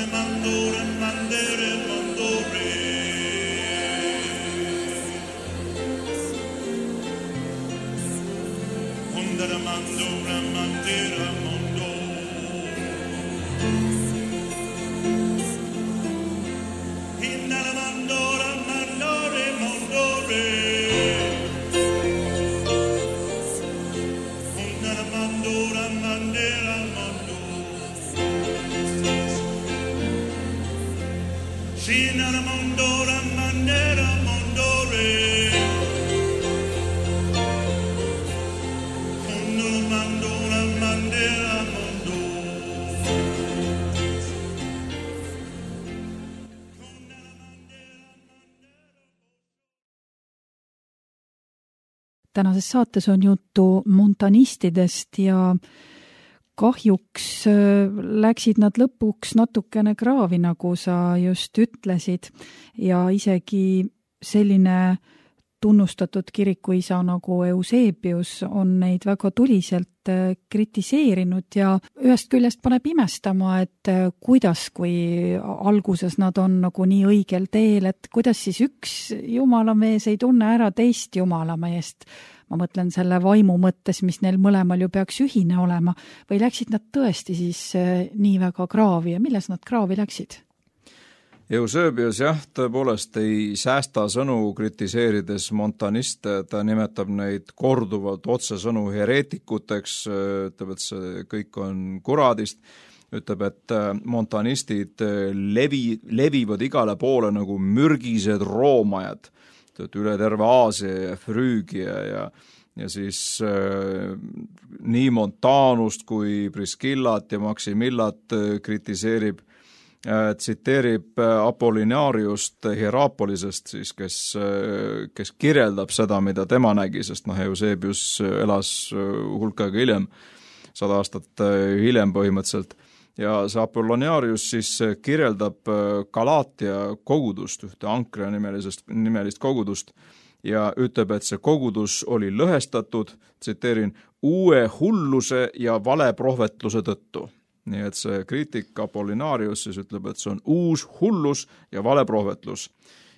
Mandore, mandere, mandore. Tänases saates on juttu montanistidest ja kahjuks läksid nad lõpuks natukene kraavi, nagu sa just ütlesid, ja isegi selline tunnustatud kirikuisa nagu Eusebius on neid väga tuliselt kritiseerinud ja ühest küljest paneb imestama, et kuidas, kui alguses nad on nagu nii õigel teel, et kuidas siis üks jumalamees ei tunne ära teist jumalameest. Ma mõtlen selle vaimu mõttes, mis neil mõlemal ju peaks ühine olema, või läksid nad tõesti siis nii väga kraavi ja milles nad kraavi läksid? Eusebius jah, tõepoolest ei säästa sõnu kritiseerides montaniste, ta nimetab neid korduvalt otsesõnu hereetikuteks, ütleb, et see kõik on kuradist, ütleb, et montanistid levi, levivad igale poole nagu mürgised roomajad, üle terve Aasia ja Früügia ja, ja siis äh, nii Montanust kui Priskillat ja Maksimillat äh, kritiseerib, tsiteerib Apollinaariust Hierapolisest, siis, kes, kes kirjeldab seda, mida tema nägi, sest noh, Eusebius elas hulk aega hiljem, sada aastat hiljem põhimõtteliselt, ja see Apollinaarius siis kirjeldab Galaatia kogudust, ühte Ankrea nimelisest, nimelist kogudust, ja ütleb, et see kogudus oli lõhestatud, tsiteerin, uue hulluse ja valeprohvetluse tõttu. Nii et see kriitik Apollinaarius siis ütleb, et see on uus hullus ja valeprohvetlus.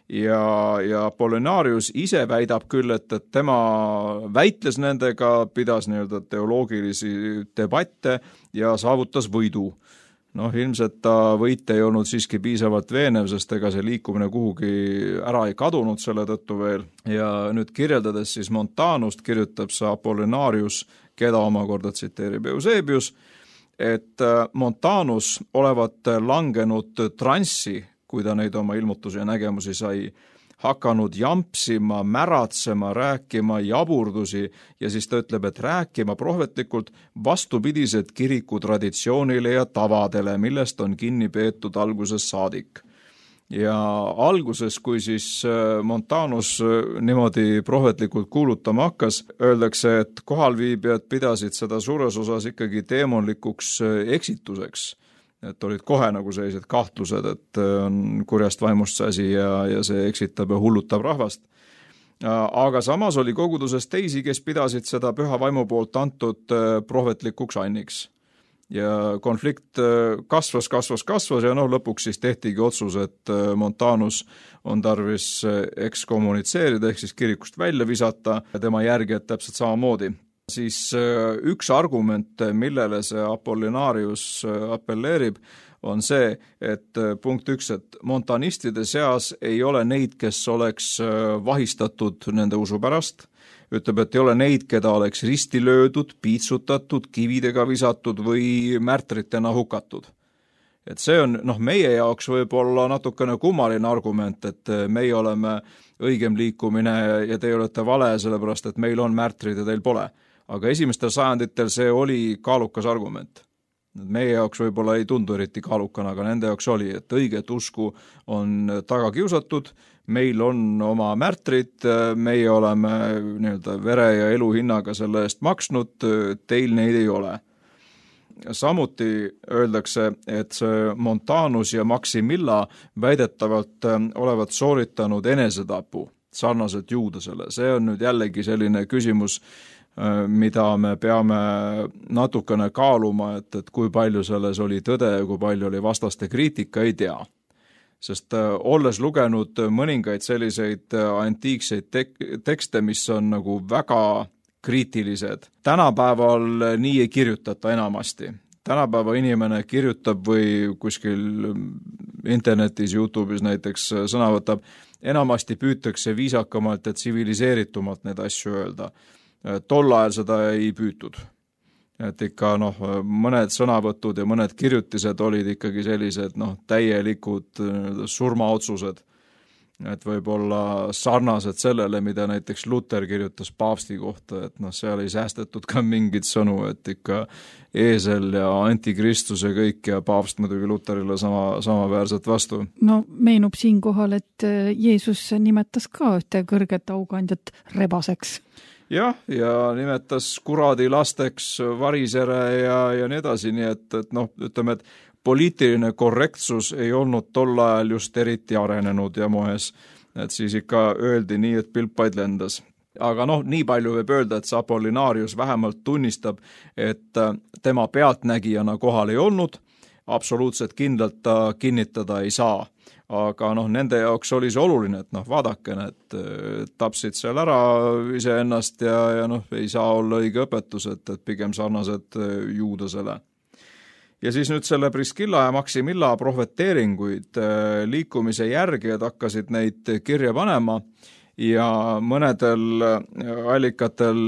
Ja, ja Apollinaarius ise väidab küll, et, et tema väitles nendega, pidas nii-öelda teoloogilisi debatte ja saavutas võidu. Noh, ilmselt ta võit ei olnud siiski piisavalt veenev, sest ega see liikumine kuhugi ära ei kadunud selle tõttu veel. Ja nüüd kirjeldades siis Montanust kirjutab see Apollinaarius, keda omakorda tsiteerib Eusebius, et Montanus olevat langenud transsi, kui ta neid oma ilmutusi ja nägemusi sai, hakanud jampsima, märatsema, rääkima jaburdusi ja siis ta ütleb, et rääkima prohvetlikult vastupidised kiriku traditsioonile ja tavadele, millest on kinni peetud alguses saadik. Ja alguses, kui siis Montanus niimoodi prohvetlikult kuulutama hakkas, öeldakse, et kohalviibijad pidasid seda suures osas ikkagi teemonlikuks eksituseks. Et olid kohe nagu sellised kahtlused, et on kurjast vaimust see asi ja, ja see eksitab ja hullutab rahvast. Aga samas oli koguduses teisi, kes pidasid seda püha vaimu poolt antud prohvetlikuks anniks. Ja konflikt kasvas, kasvas, kasvas ja noh, lõpuks siis tehtigi otsus, et Montanus on tarvis ekskommunitseerida ehk siis kirikust välja visata ja tema järgijad täpselt samamoodi. Siis üks argument, millele see Apollinaarius appelleerib, on see, et punkt üks, et montanistide seas ei ole neid, kes oleks vahistatud nende usu pärast, ütleb, et ei ole neid, keda oleks risti löödud, piitsutatud, kividega visatud või märtritena hukatud. Et see on noh, meie jaoks võib-olla natukene kummaline argument, et meie oleme õigem liikumine ja te olete vale, sellepärast et meil on märtrid ja teil pole. Aga esimestel sajanditel see oli kaalukas argument. Meie jaoks võib-olla ei tundu eriti kaalukana, aga nende jaoks oli, et õiget usku on taga kiusatud, meil on oma märtrid, meie oleme nii-öelda vere ja elu hinnaga selle eest maksnud, teil neid ei ole. Samuti öeldakse, et see Montanus ja Maximilla väidetavalt olevat sooritanud enesetapu sarnaselt Juudasele. See on nüüd jällegi selline küsimus, mida me peame natukene kaaluma, et, et kui palju selles oli tõde ja kui palju oli vastaste kriitika, ei tea. Sest olles lugenud mõningaid selliseid antiikseid tek- tekste, mis on nagu väga kriitilised. Tänapäeval nii ei kirjutata enamasti. Tänapäeva inimene kirjutab või kuskil internetis, YouTube'is näiteks sõna võtab, enamasti püütakse viisakamalt ja tsiviliseeritumalt neid asju öelda. Tol ajal seda ei püütud. Et ikka noh, mõned sõnavõtud ja mõned kirjutised olid ikkagi sellised noh, täielikud surmaotsused. Et võib-olla sarnased sellele, mida näiteks Luther kirjutas paavsti kohta, et noh, seal ei säästetud ka mingid sõnu, et ikka eesel ja antikristus ja kõik ja paavst muidugi Lutherile sama, samaväärselt vastu. No meenub siinkohal, et Jeesus nimetas ka ühte kõrget aukandjat rebaseks. Jah, ja nimetas kuradi lasteks, varisere ja, ja nii edasi, nii et, et noh, ütleme, et poliitiline korrektsus ei olnud tol ajal just eriti arenenud ja moes, et siis ikka öeldi nii, et pilpaid lendas. Aga noh, nii palju võib öelda, et see Apollinaarius vähemalt tunnistab, et tema pealtnägijana kohal ei olnud, absoluutselt kindlalt ta kinnitada ei saa. Aga noh, nende jaoks oli see oluline, et noh, vaadake, et tapsid seal ära iseennast ja, ja noh, ei saa olla õige õpetus, et, et pigem sarnased juudasele. Ja siis nüüd selle Priskilla ja Maximilla prohveteeringuid liikumise järgijad hakkasid neid kirja panema ja mõnedel allikatel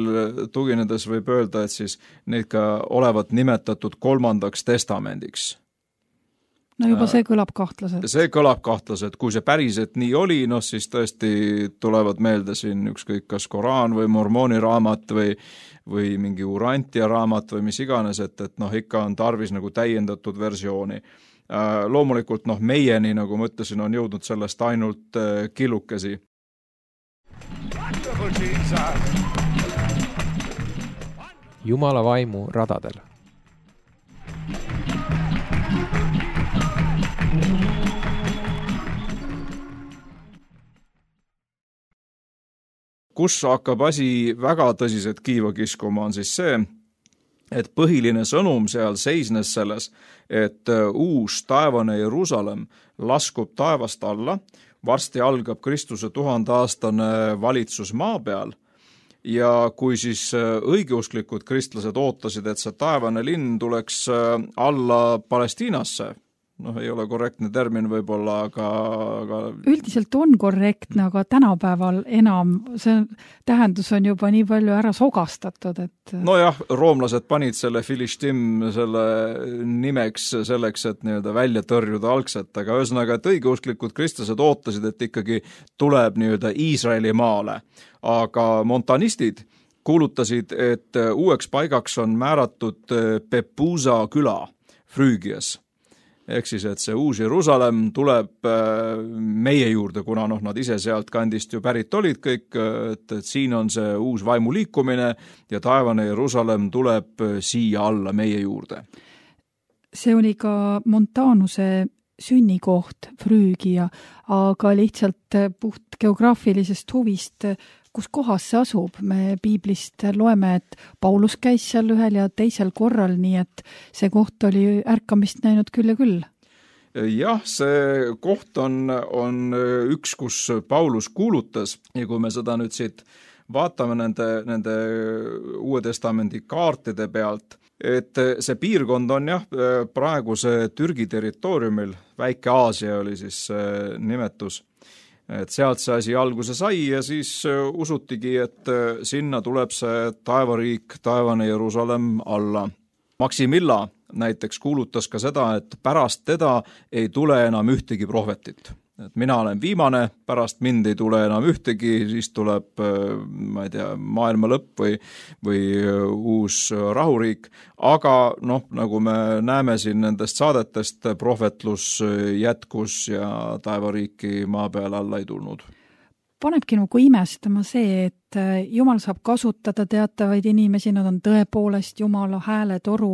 tuginedes võib öelda, et siis neid ka olevat nimetatud kolmandaks testamendiks. No juba see kõlab kahtlaselt. See kõlab kahtlaselt. Kui see päriselt nii oli, noh siis tõesti tulevad meelde siin ükskõik kas Koraan või Mormooni raamat või, või mingi Urantia raamat või mis iganes, et, et noh ikka on tarvis nagu täiendatud versiooni. Loomulikult noh meieni, nagu ma ütlesin, on jõudnud sellest ainult killukesi. Jumala vaimu radadel. Kus hakkab asi väga tõsiselt kiiva kiskuma on siis see, et põhiline sõnum seal seisnes selles, et uus taevane Jerusalem laskub taevast alla, varsti algab Kristuse tuhandeaastane valitsus maa peal ja kui siis õigeusklikud kristlased ootasid, et see taevane linn tuleks alla Palestiinasse, noh, ei ole korrektne termin võib-olla, aga, aga... Üldiselt on korrektne, aga tänapäeval enam see tähendus on juba nii palju ära sogastatud, et... No jah, roomlased panid selle Filistim selle nimeks selleks, et nii-öelda välja tõrjuda algselt, aga ühesõnaga, et õigeusklikud kristlased ootasid, et ikkagi tuleb nii-öelda Iisraeli maale, aga montanistid kuulutasid, et uueks paigaks on määratud Pepusa küla Früügias. Ehk siis, et see uus Jerusalem tuleb meie juurde, kuna noh, nad ise sealt kandist ju pärit olid kõik, et, et siin on see uus vaimuliikumine ja taevane Jerusalem tuleb siia alla meie juurde. See oli ka Montanuse sünnikoht Früügia, aga lihtsalt puht geograafilisest huvist, kus kohas see asub. Me piiblist loeme, et Paulus käis seal ühel ja teisel korral, nii et see koht oli ärkamist näinud küll ja küll. Jah, see koht on, on üks, kus Paulus kuulutas ja kui me seda nüüd siit vaatame nende, nende Uue Testamendi kaartide pealt, et see piirkond on jah, praeguse Türgi territooriumil, Väike Aasia oli siis nimetus, et sealt see asi alguse sai ja siis usutigi, et sinna tuleb see taevariik, taevane Jerusalem alla. Maximilla näiteks kuulutas ka seda, et pärast teda ei tule enam ühtegi prohvetit. Et mina olen viimane, pärast mind ei tule enam ühtegi, siis tuleb, ma ei tea, maailma lõpp või, või uus rahuriik. Aga noh, nagu me näeme siin nendest saadetest, prohvetlus jätkus ja taevariiki maa peal alla ei tulnud. Panebki nagu imestama see, et Jumal saab kasutada teatavaid inimesi, nad on tõepoolest Jumala hääletoru,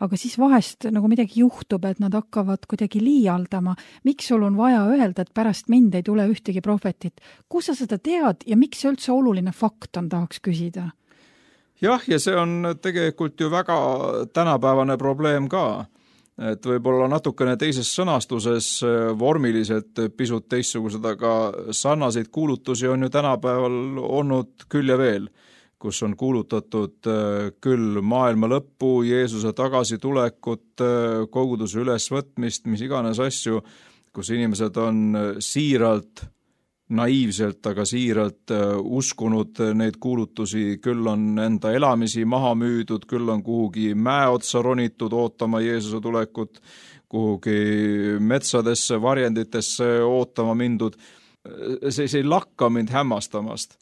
aga siis vahest nagu midagi juhtub, et nad hakkavad kuidagi liialdama. Miks sul on vaja öelda, et pärast mind ei tule ühtegi prohvetit? Kus sa seda tead ja miks see üldse oluline fakt on, tahaks küsida? Jah, ja see on tegelikult ju väga tänapäevane probleem ka. Et võib-olla natukene teises sõnastuses vormiliselt pisut teistsugused, aga sarnaseid kuulutusi on ju tänapäeval olnud küll ja veel. kus on kuulutatud küll maailma lõppu, Jeesuse tagasitulekut, koguduse ülesvõtmist, mis iganes asju, kus inimesed on siiralt, naiivselt, aga siiralt uskunud neid kuulutusi, küll on enda elamisi maha müüdud, küll on kuhugi mäe otsa ronitud ootama Jeesuse tulekut, kuhugi metsadesse, varjenditesse ootama mindud. See, see ei lakka mind hämmastamast,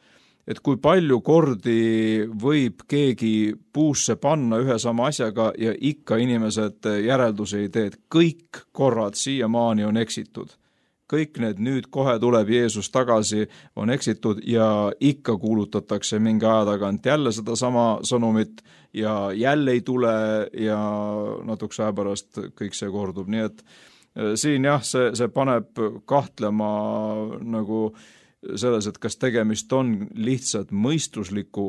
et kui palju kordi võib keegi puusse panna ühe sama asjaga ja ikka inimesed järeldusi ei tee, et kõik korrad siiamaani on eksitud. Kõik need nüüd kohe tuleb Jeesus tagasi on eksitud ja ikka kuulutatakse mingi aja tagant jälle seda sama sõnumit ja jälle ei tule ja natukese aja pärast kõik see kordub. Nii et siin jah, see, see paneb kahtlema nagu selles, et kas tegemist on lihtsalt mõistusliku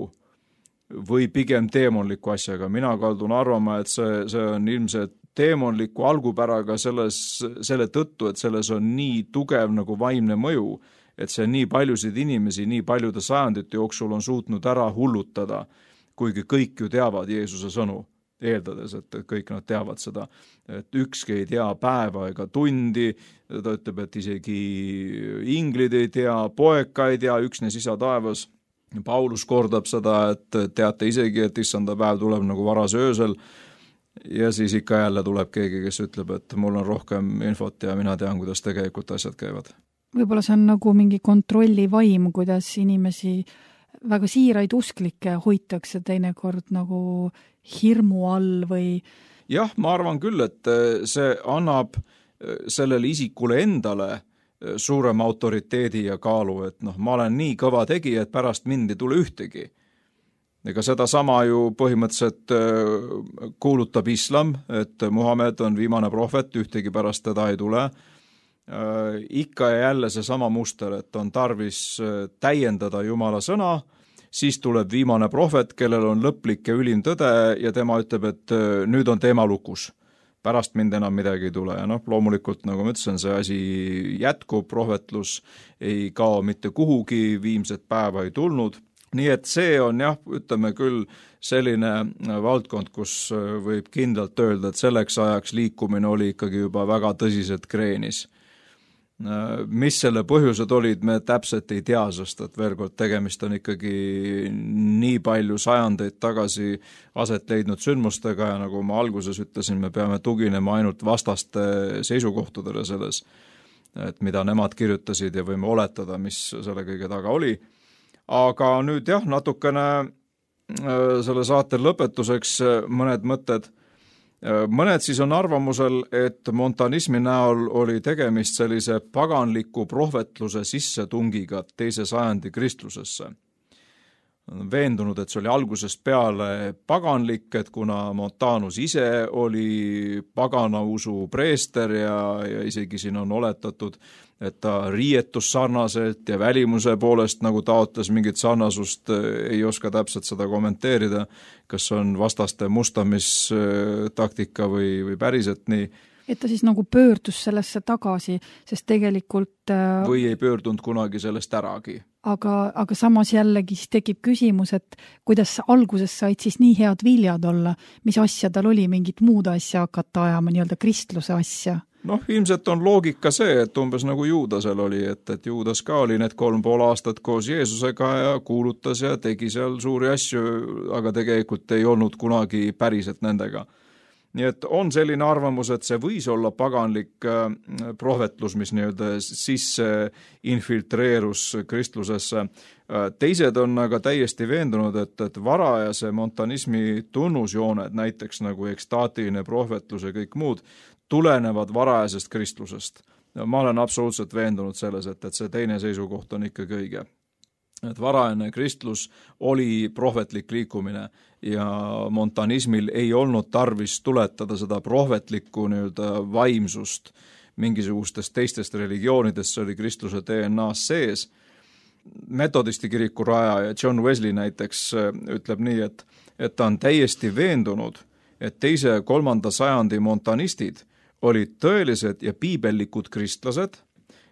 või pigem teemonliku asjaga. Mina kaldun arvama, et see, see on ilmselt teemonliku algupäraga selles, selle tõttu, et selles on nii tugev nagu vaimne mõju, et see nii paljusid inimesi nii paljude sajandite jooksul on suutnud ära hullutada, kuigi kõik ju teavad Jeesuse sõnu, eeldades, et kõik nad teavad seda, et ükski ei tea päeva ega tundi, ta ütleb, et isegi inglid ei tea, poeka ei tea, üksnes isa taevas. Paulus kordab seda, et teate isegi, et issanda päev tuleb nagu varas öösel, ja siis ikka jälle tuleb keegi, kes ütleb, et mul on rohkem infot ja mina tean, kuidas tegelikult asjad käivad. Võib-olla see on nagu mingi kontrollivaim, kuidas inimesi väga siiraid usklikke hoitakse teinekord nagu hirmu all või... Jah, ma arvan küll, et see annab sellele isikule endale suurema autoriteedi ja kaalu, et noh, ma olen nii kõva tegija, et pärast mind ei tule ühtegi. Ega seda sama ju põhimõtteliselt kuulutab islam, et Muhamed on viimane prohvet, ühtegi pärast teda ei tule. Ikka ja jälle see sama muster, et on tarvis täiendada Jumala sõna, siis tuleb viimane prohvet, kellel on lõplik ja ülim tõde ja tema ütleb, et nüüd on teema lukus. Pärast mind enam midagi ei tule ja noh, loomulikult, nagu ma ütlesin, see asi jätkub, prohvetlus ei kao mitte kuhugi, viimset päeva ei tulnud. Nii et see on jah, ütleme küll selline valdkond, kus võib kindlalt öelda, et selleks ajaks liikumine oli ikkagi juba väga tõsiselt kreenis. Mis selle põhjused olid, me täpselt ei tea, sest et veel kord tegemist on ikkagi nii palju sajandeid tagasi aset leidnud sündmustega ja nagu ma alguses ütlesin, me peame tuginema ainult vastaste seisukohtadele selles, et mida nemad kirjutasid ja võime oletada, mis selle kõige taga oli. Aga nüüd jah, natukene selle saate lõpetuseks mõned mõtted. Mõned siis on arvamusel, et montanismi näol oli tegemist sellise paganliku prohvetluse sissetungiga teise sajandi kristlusesse. Veendunud, et see oli algusest peale paganlik, et kuna Montanus ise oli pagana usu preester ja, ja isegi siin on oletatud, et ta riietus sarnaselt ja välimuse poolest nagu taotles mingit sarnasust, ei oska täpselt seda kommenteerida, kas on vastaste mustamistaktika või, või päriselt nii. Et ta siis nagu pöördus sellesse tagasi, sest tegelikult... Või ei pöördunud kunagi sellest äragi. Aga, aga samas jällegi siis tekib küsimus, et kuidas alguses said siis nii head viljad olla, mis asja tal oli, mingit muud asja hakata ajama, nii-öelda kristluse asja? Noh, ilmselt on loogika see, et umbes nagu Juudasel oli, et, et Juudas ka oli need kolm pool aastat koos Jeesusega ja kuulutas ja tegi seal suuri asju, aga tegelikult ei olnud kunagi päriselt nendega. Nii et on selline arvamus, et see võis olla paganlik prohvetlus, mis nii-öelda sisse infiltreerus kristlusesse. Teised on aga täiesti veendunud, et, et varajase montanismi tunnusjooned, näiteks nagu ekstaatiline prohvetlus ja kõik muud, tulenevad varajasest kristlusest. Ma olen absoluutselt veendunud selles, et, et see teine seisukoht on ikkagi õige. Et varajane kristlus oli prohvetlik liikumine ja montanismil ei olnud tarvis tuletada seda prohvetlikku nii-öelda vaimsust mingisugustest teistest religioonidest, see oli kristluse D N A-s sees. Metodisti kiriku rajaja John Wesley näiteks ütleb nii, et, et ta on täiesti veendunud, et teise kolmanda sajandi montanistid olid tõelised ja piibellikud kristlased,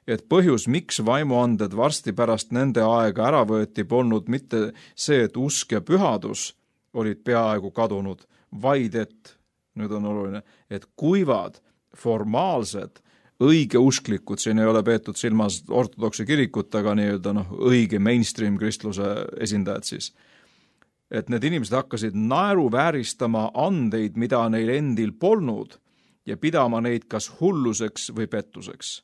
et põhjus, miks vaimuanded varsti pärast nende aega ära võeti, polnud mitte see, et usk ja pühadus olid peaaegu kadunud, vaid et, nüüd on oluline, et kuivad, formaalsed, õigeusklikud, siin ei ole peetud silmas ortodoksi kirikut, aga nii-öelda noh, õige mainstream kristluse esindajad siis. Et need inimesed hakkasid naeruvääristama andeid, mida neil endil polnud ja pidama neid kas hulluseks või pettuseks.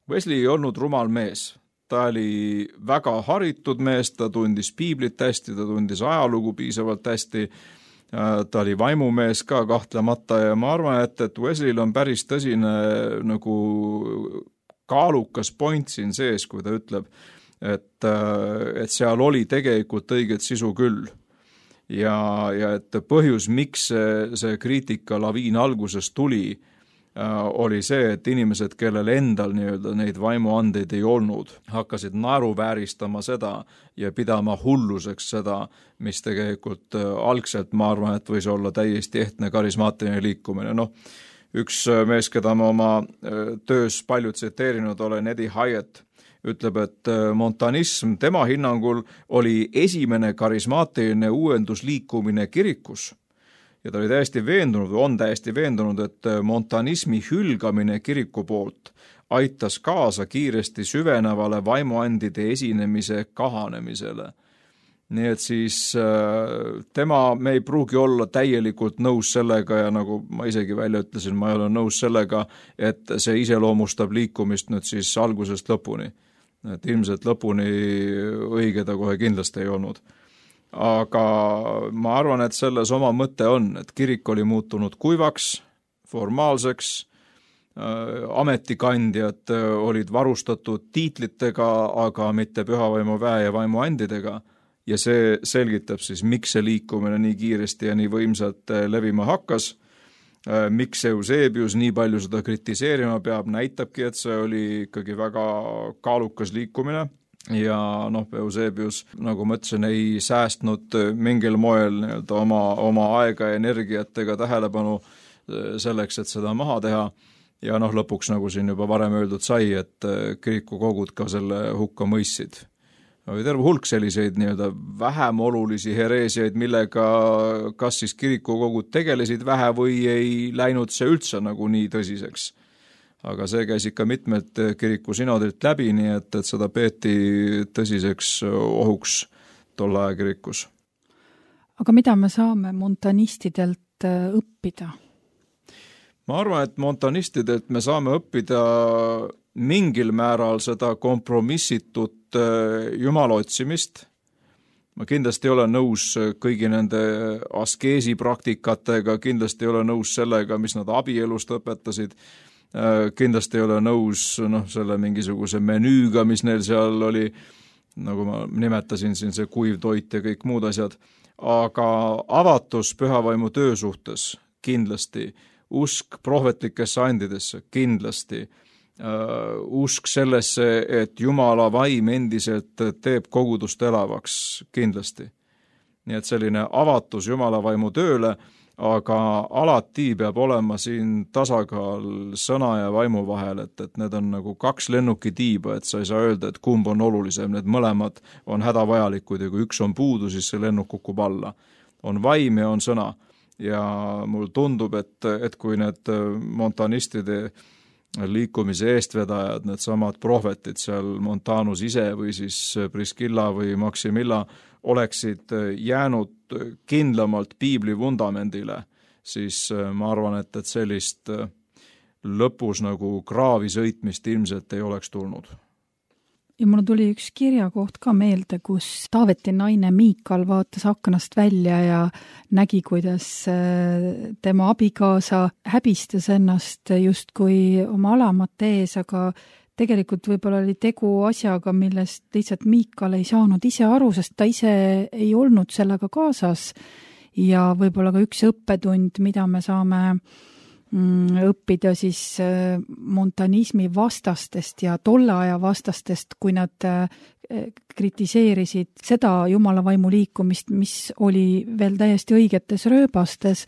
Wesley ei olnud rumal mees. Ta oli väga haritud mees, ta tundis piiblit hästi, ta tundis ajalugu piisavalt hästi, ta oli vaimumees ka kahtlemata ja ma arvan, et, et Wesleyl on päris tõsine nagu kaalukas point siin sees, kui ta ütleb, et, et seal oli tegelikult õiget sisu küll. Ja, ja et põhjus, miks see, see kriitika laviin alguses tuli, oli see, et inimesed, kellel endal nii-öelda neid vaimuandeid ei olnud, hakkasid naeruvääristama seda ja pidama hulluseks seda, mis tegelikult algselt, ma arvan, et võis olla täiesti ehtne karismaatiline liikumine. Noh, üks mees, keda ma oma töös palju tsiteerinud olen, Eddie Hyatt, ütleb, et montanism tema hinnangul oli esimene karismaatiline uuendusliikumine kirikus. Ja ta oli täiesti veendunud, on täiesti veendunud, et montanismi hülgamine kiriku poolt aitas kaasa kiiresti süvenevale vaimuandide esinemise kahanemisele. Nii et siis tema, me ei pruugi olla täielikult nõus sellega ja nagu ma isegi välja ütlesin, ma ei ole nõus sellega, et see iseloomustab liikumist nüüd siis algusest lõpuni. Et ilmselt lõpuni õige ta kohe kindlasti ei olnud. Aga ma arvan, et selles oma mõte on, et kirik oli muutunud kuivaks, formaalseks, ametikandjad olid varustatud tiitlitega, aga mitte pühavaimu väe ja vaimuandidega ja see selgitab siis, miks see liikumine nii kiiresti ja nii võimsalt levima hakkas, miks Eusebius nii palju seda kritiseerima peab, näitabki, et see oli ikkagi väga kaalukas liikumine. Ja noh, Eusebius, nagu ma ütlesin, ei säästnud mingil moel nii-öelda oma, oma aega ja energiat ega tähelepanu selleks, et seda maha teha. Ja noh, lõpuks, nagu siin juba varem öeldud sai, et kirikukogud ka selle hukka mõistsid. Oli terve hulk selliseid nii-öelda vähem olulisi hereesiaid, millega kas siis kirikukogud tegelesid vähe või ei läinud see üldse nagu nii tõsiseks. Aga see käis ikka mitmed kiriku sinodelt läbi, nii et, et seda peeti tõsiseks ohuks tolle aja kirikus. Aga mida me saame montanistidelt õppida? Ma arvan, et montanistidelt me saame õppida mingil määral seda kompromissitut jumala otsimist. Ma kindlasti ei ole nõus kõigi nende askeesi praktikatega, kindlasti ei ole nõus sellega, mis nad abielust õpetasid, kindlasti ei ole nõus noh, selle mingisuguse menüüga, mis neil seal oli, nagu ma nimetasin siin see kuiv toit ja kõik muud asjad, aga avatus pühavaimu töö suhtes kindlasti, usk prohvetlikesse andidesse kindlasti, uh, usk sellesse, et Jumala vaim endiselt teeb kogudust elavaks kindlasti. Nii et selline avatus Jumala vaimu tööle, aga alati peab olema siin tasakaal sõna ja vaimu vahel, et, et need on nagu kaks lennukitiiba, et sa ei saa öelda, et kumb on olulisem, need mõlemad on hädavajalikud ja kui üks on puudu, siis see lennuk kukub alla. On vaim ja on sõna ja mul tundub, et, et kui need montanistide liikumise eestvedajad, need samad prohvetid seal Montanus ise või siis Priskilla või Maximilla oleksid jäänud kindlamalt piibli vundamendile, siis ma arvan, et, et sellist lõpus nagu kraavi sõitmist ilmselt ei oleks tulnud. Ja mul tuli üks kirjakoht ka meelde, kus Taaveti naine Miikal vaatas aknast välja ja nägi, kuidas tema abikaasa häbistas ennast justkui oma alamate ees, aga tegelikult võib-olla oli tegu asjaga, millest lihtsalt Miikal ei saanud ise aru, sest ta ise ei olnud sellega kaasas ja võib-olla ka üks õppetund, mida me saame õppida siis montanismi vastastest ja tolle aja vastastest, kui nad kritiseerisid seda Jumala vaimu liikumist, mis oli veel täiesti õigetes rööbastes,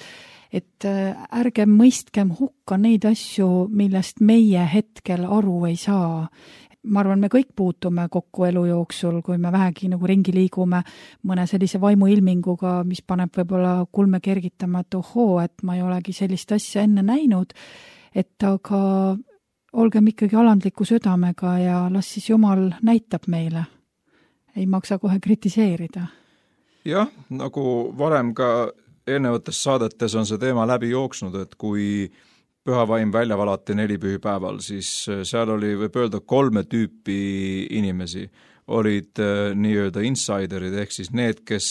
et ärge mõistkem hukka neid asju, millest meie hetkel aru ei saa. Ma arvan, me kõik puutume kokku elu jooksul, kui me vähegi nagu ringi liigume mõne sellise vaimuilminguga, mis paneb võib-olla kulme kergitama, et ohoo, et ma ei olegi sellist asja enne näinud, et aga olgem ikkagi alandliku südamega ja las siis Jumal näitab meile. Ei maksa kohe kritiseerida. Jah, nagu varem ka eelnevates saadetes on see teema läbi jooksnud, et kui pühavaim välja valati nelipühipäeval, siis seal oli, võib öelda, kolme tüüpi inimesi. Olid nii-öelda insiderid, ehk siis need, kes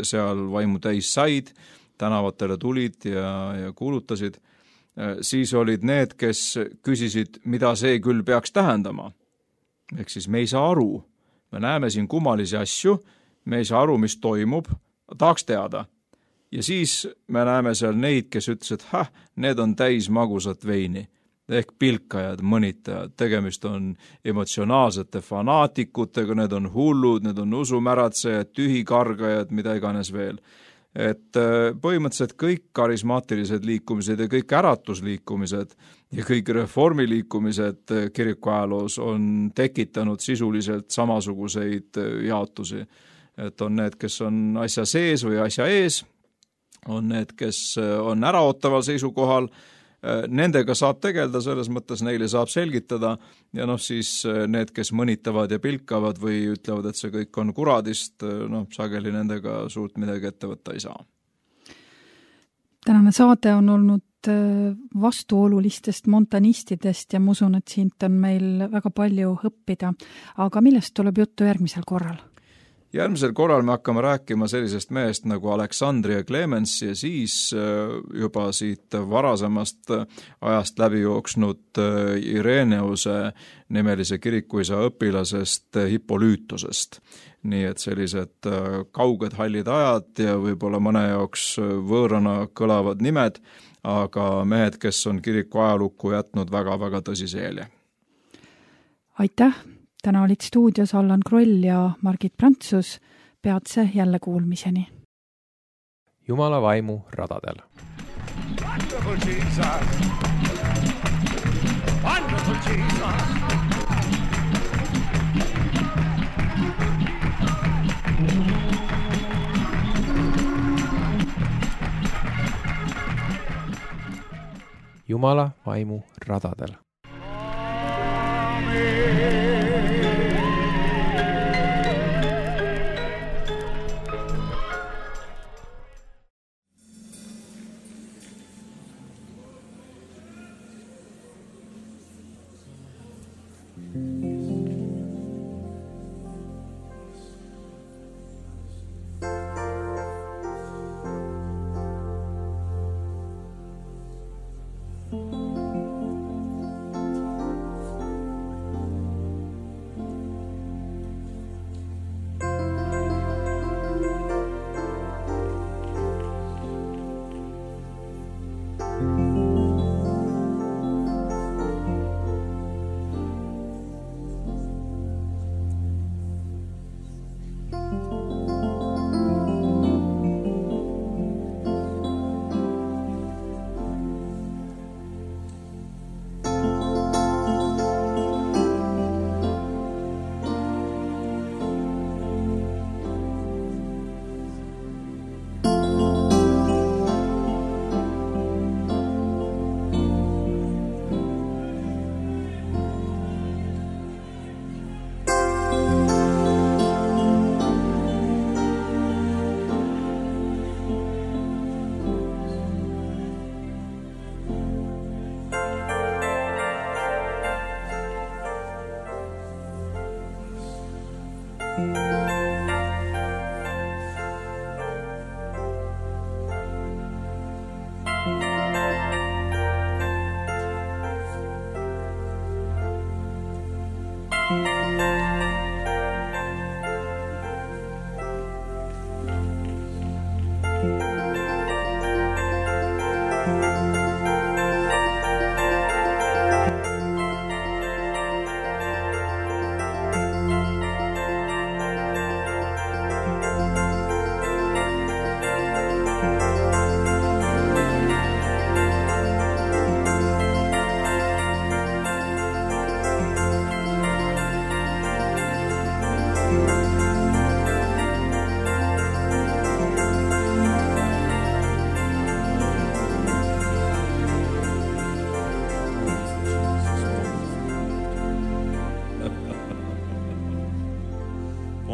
seal vaimu täis said, tänavatele tulid ja, ja kuulutasid. Siis olid need, kes küsisid, mida see küll peaks tähendama. Ehk siis me ei saa aru. Me näeme siin kummalisi asju, me ei saa aru, mis toimub, tahaks teada. Ja siis me näeme seal neid, kes ütlesid, et häh, need on täis magusat veini, ehk pilkajad, mõnitajad, tegemist on emotsionaalsete fanaatikutega, need on hullud, need on usumäratsejad, tühikargajad, mida iganes veel. Et põhimõtteliselt kõik karismaatilised liikumised ja kõik äratusliikumised ja kõik reformiliikumised kiriku ajaloos on tekitanud sisuliselt samasuguseid jaotusi. Et on need, kes on asja sees või asja ees, on need, kes on äraootaval seisukohal, nendega saab tegelda, selles mõttes neile saab selgitada ja noh, siis need, kes mõnitavad ja pilkavad või ütlevad, et see kõik on kuradist, noh, sageli nendega suurt midagi ette võtta ei saa. Tänane saade on olnud vastuolulistest montanistidest ja ma usun, et siit on meil väga palju õppida, aga millest tuleb juttu järgmisel korral? Järgmisel korral me hakkame rääkima sellisest mehest nagu Aleksandria Clemens ja siis juba siit varasemast ajast läbi jooksnud Ireneuse nimelise kirikuisa õpilasest Hippolüütusest. Nii et sellised kauged hallid ajad ja võib-olla mõne jaoks võõrana kõlavad nimed, aga mehed, kes on kiriku ajalukku jätnud väga-väga tõsise jälje. Aitäh! Täna olid stuudios Allan Kroll ja Margit Prantsus. Peatse jälle kuulmiseni. Jumala vaimu radadel. Wonderful Jesus. Wonderful Jesus. Jumala vaimu radadel.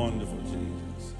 wonderful Jesus.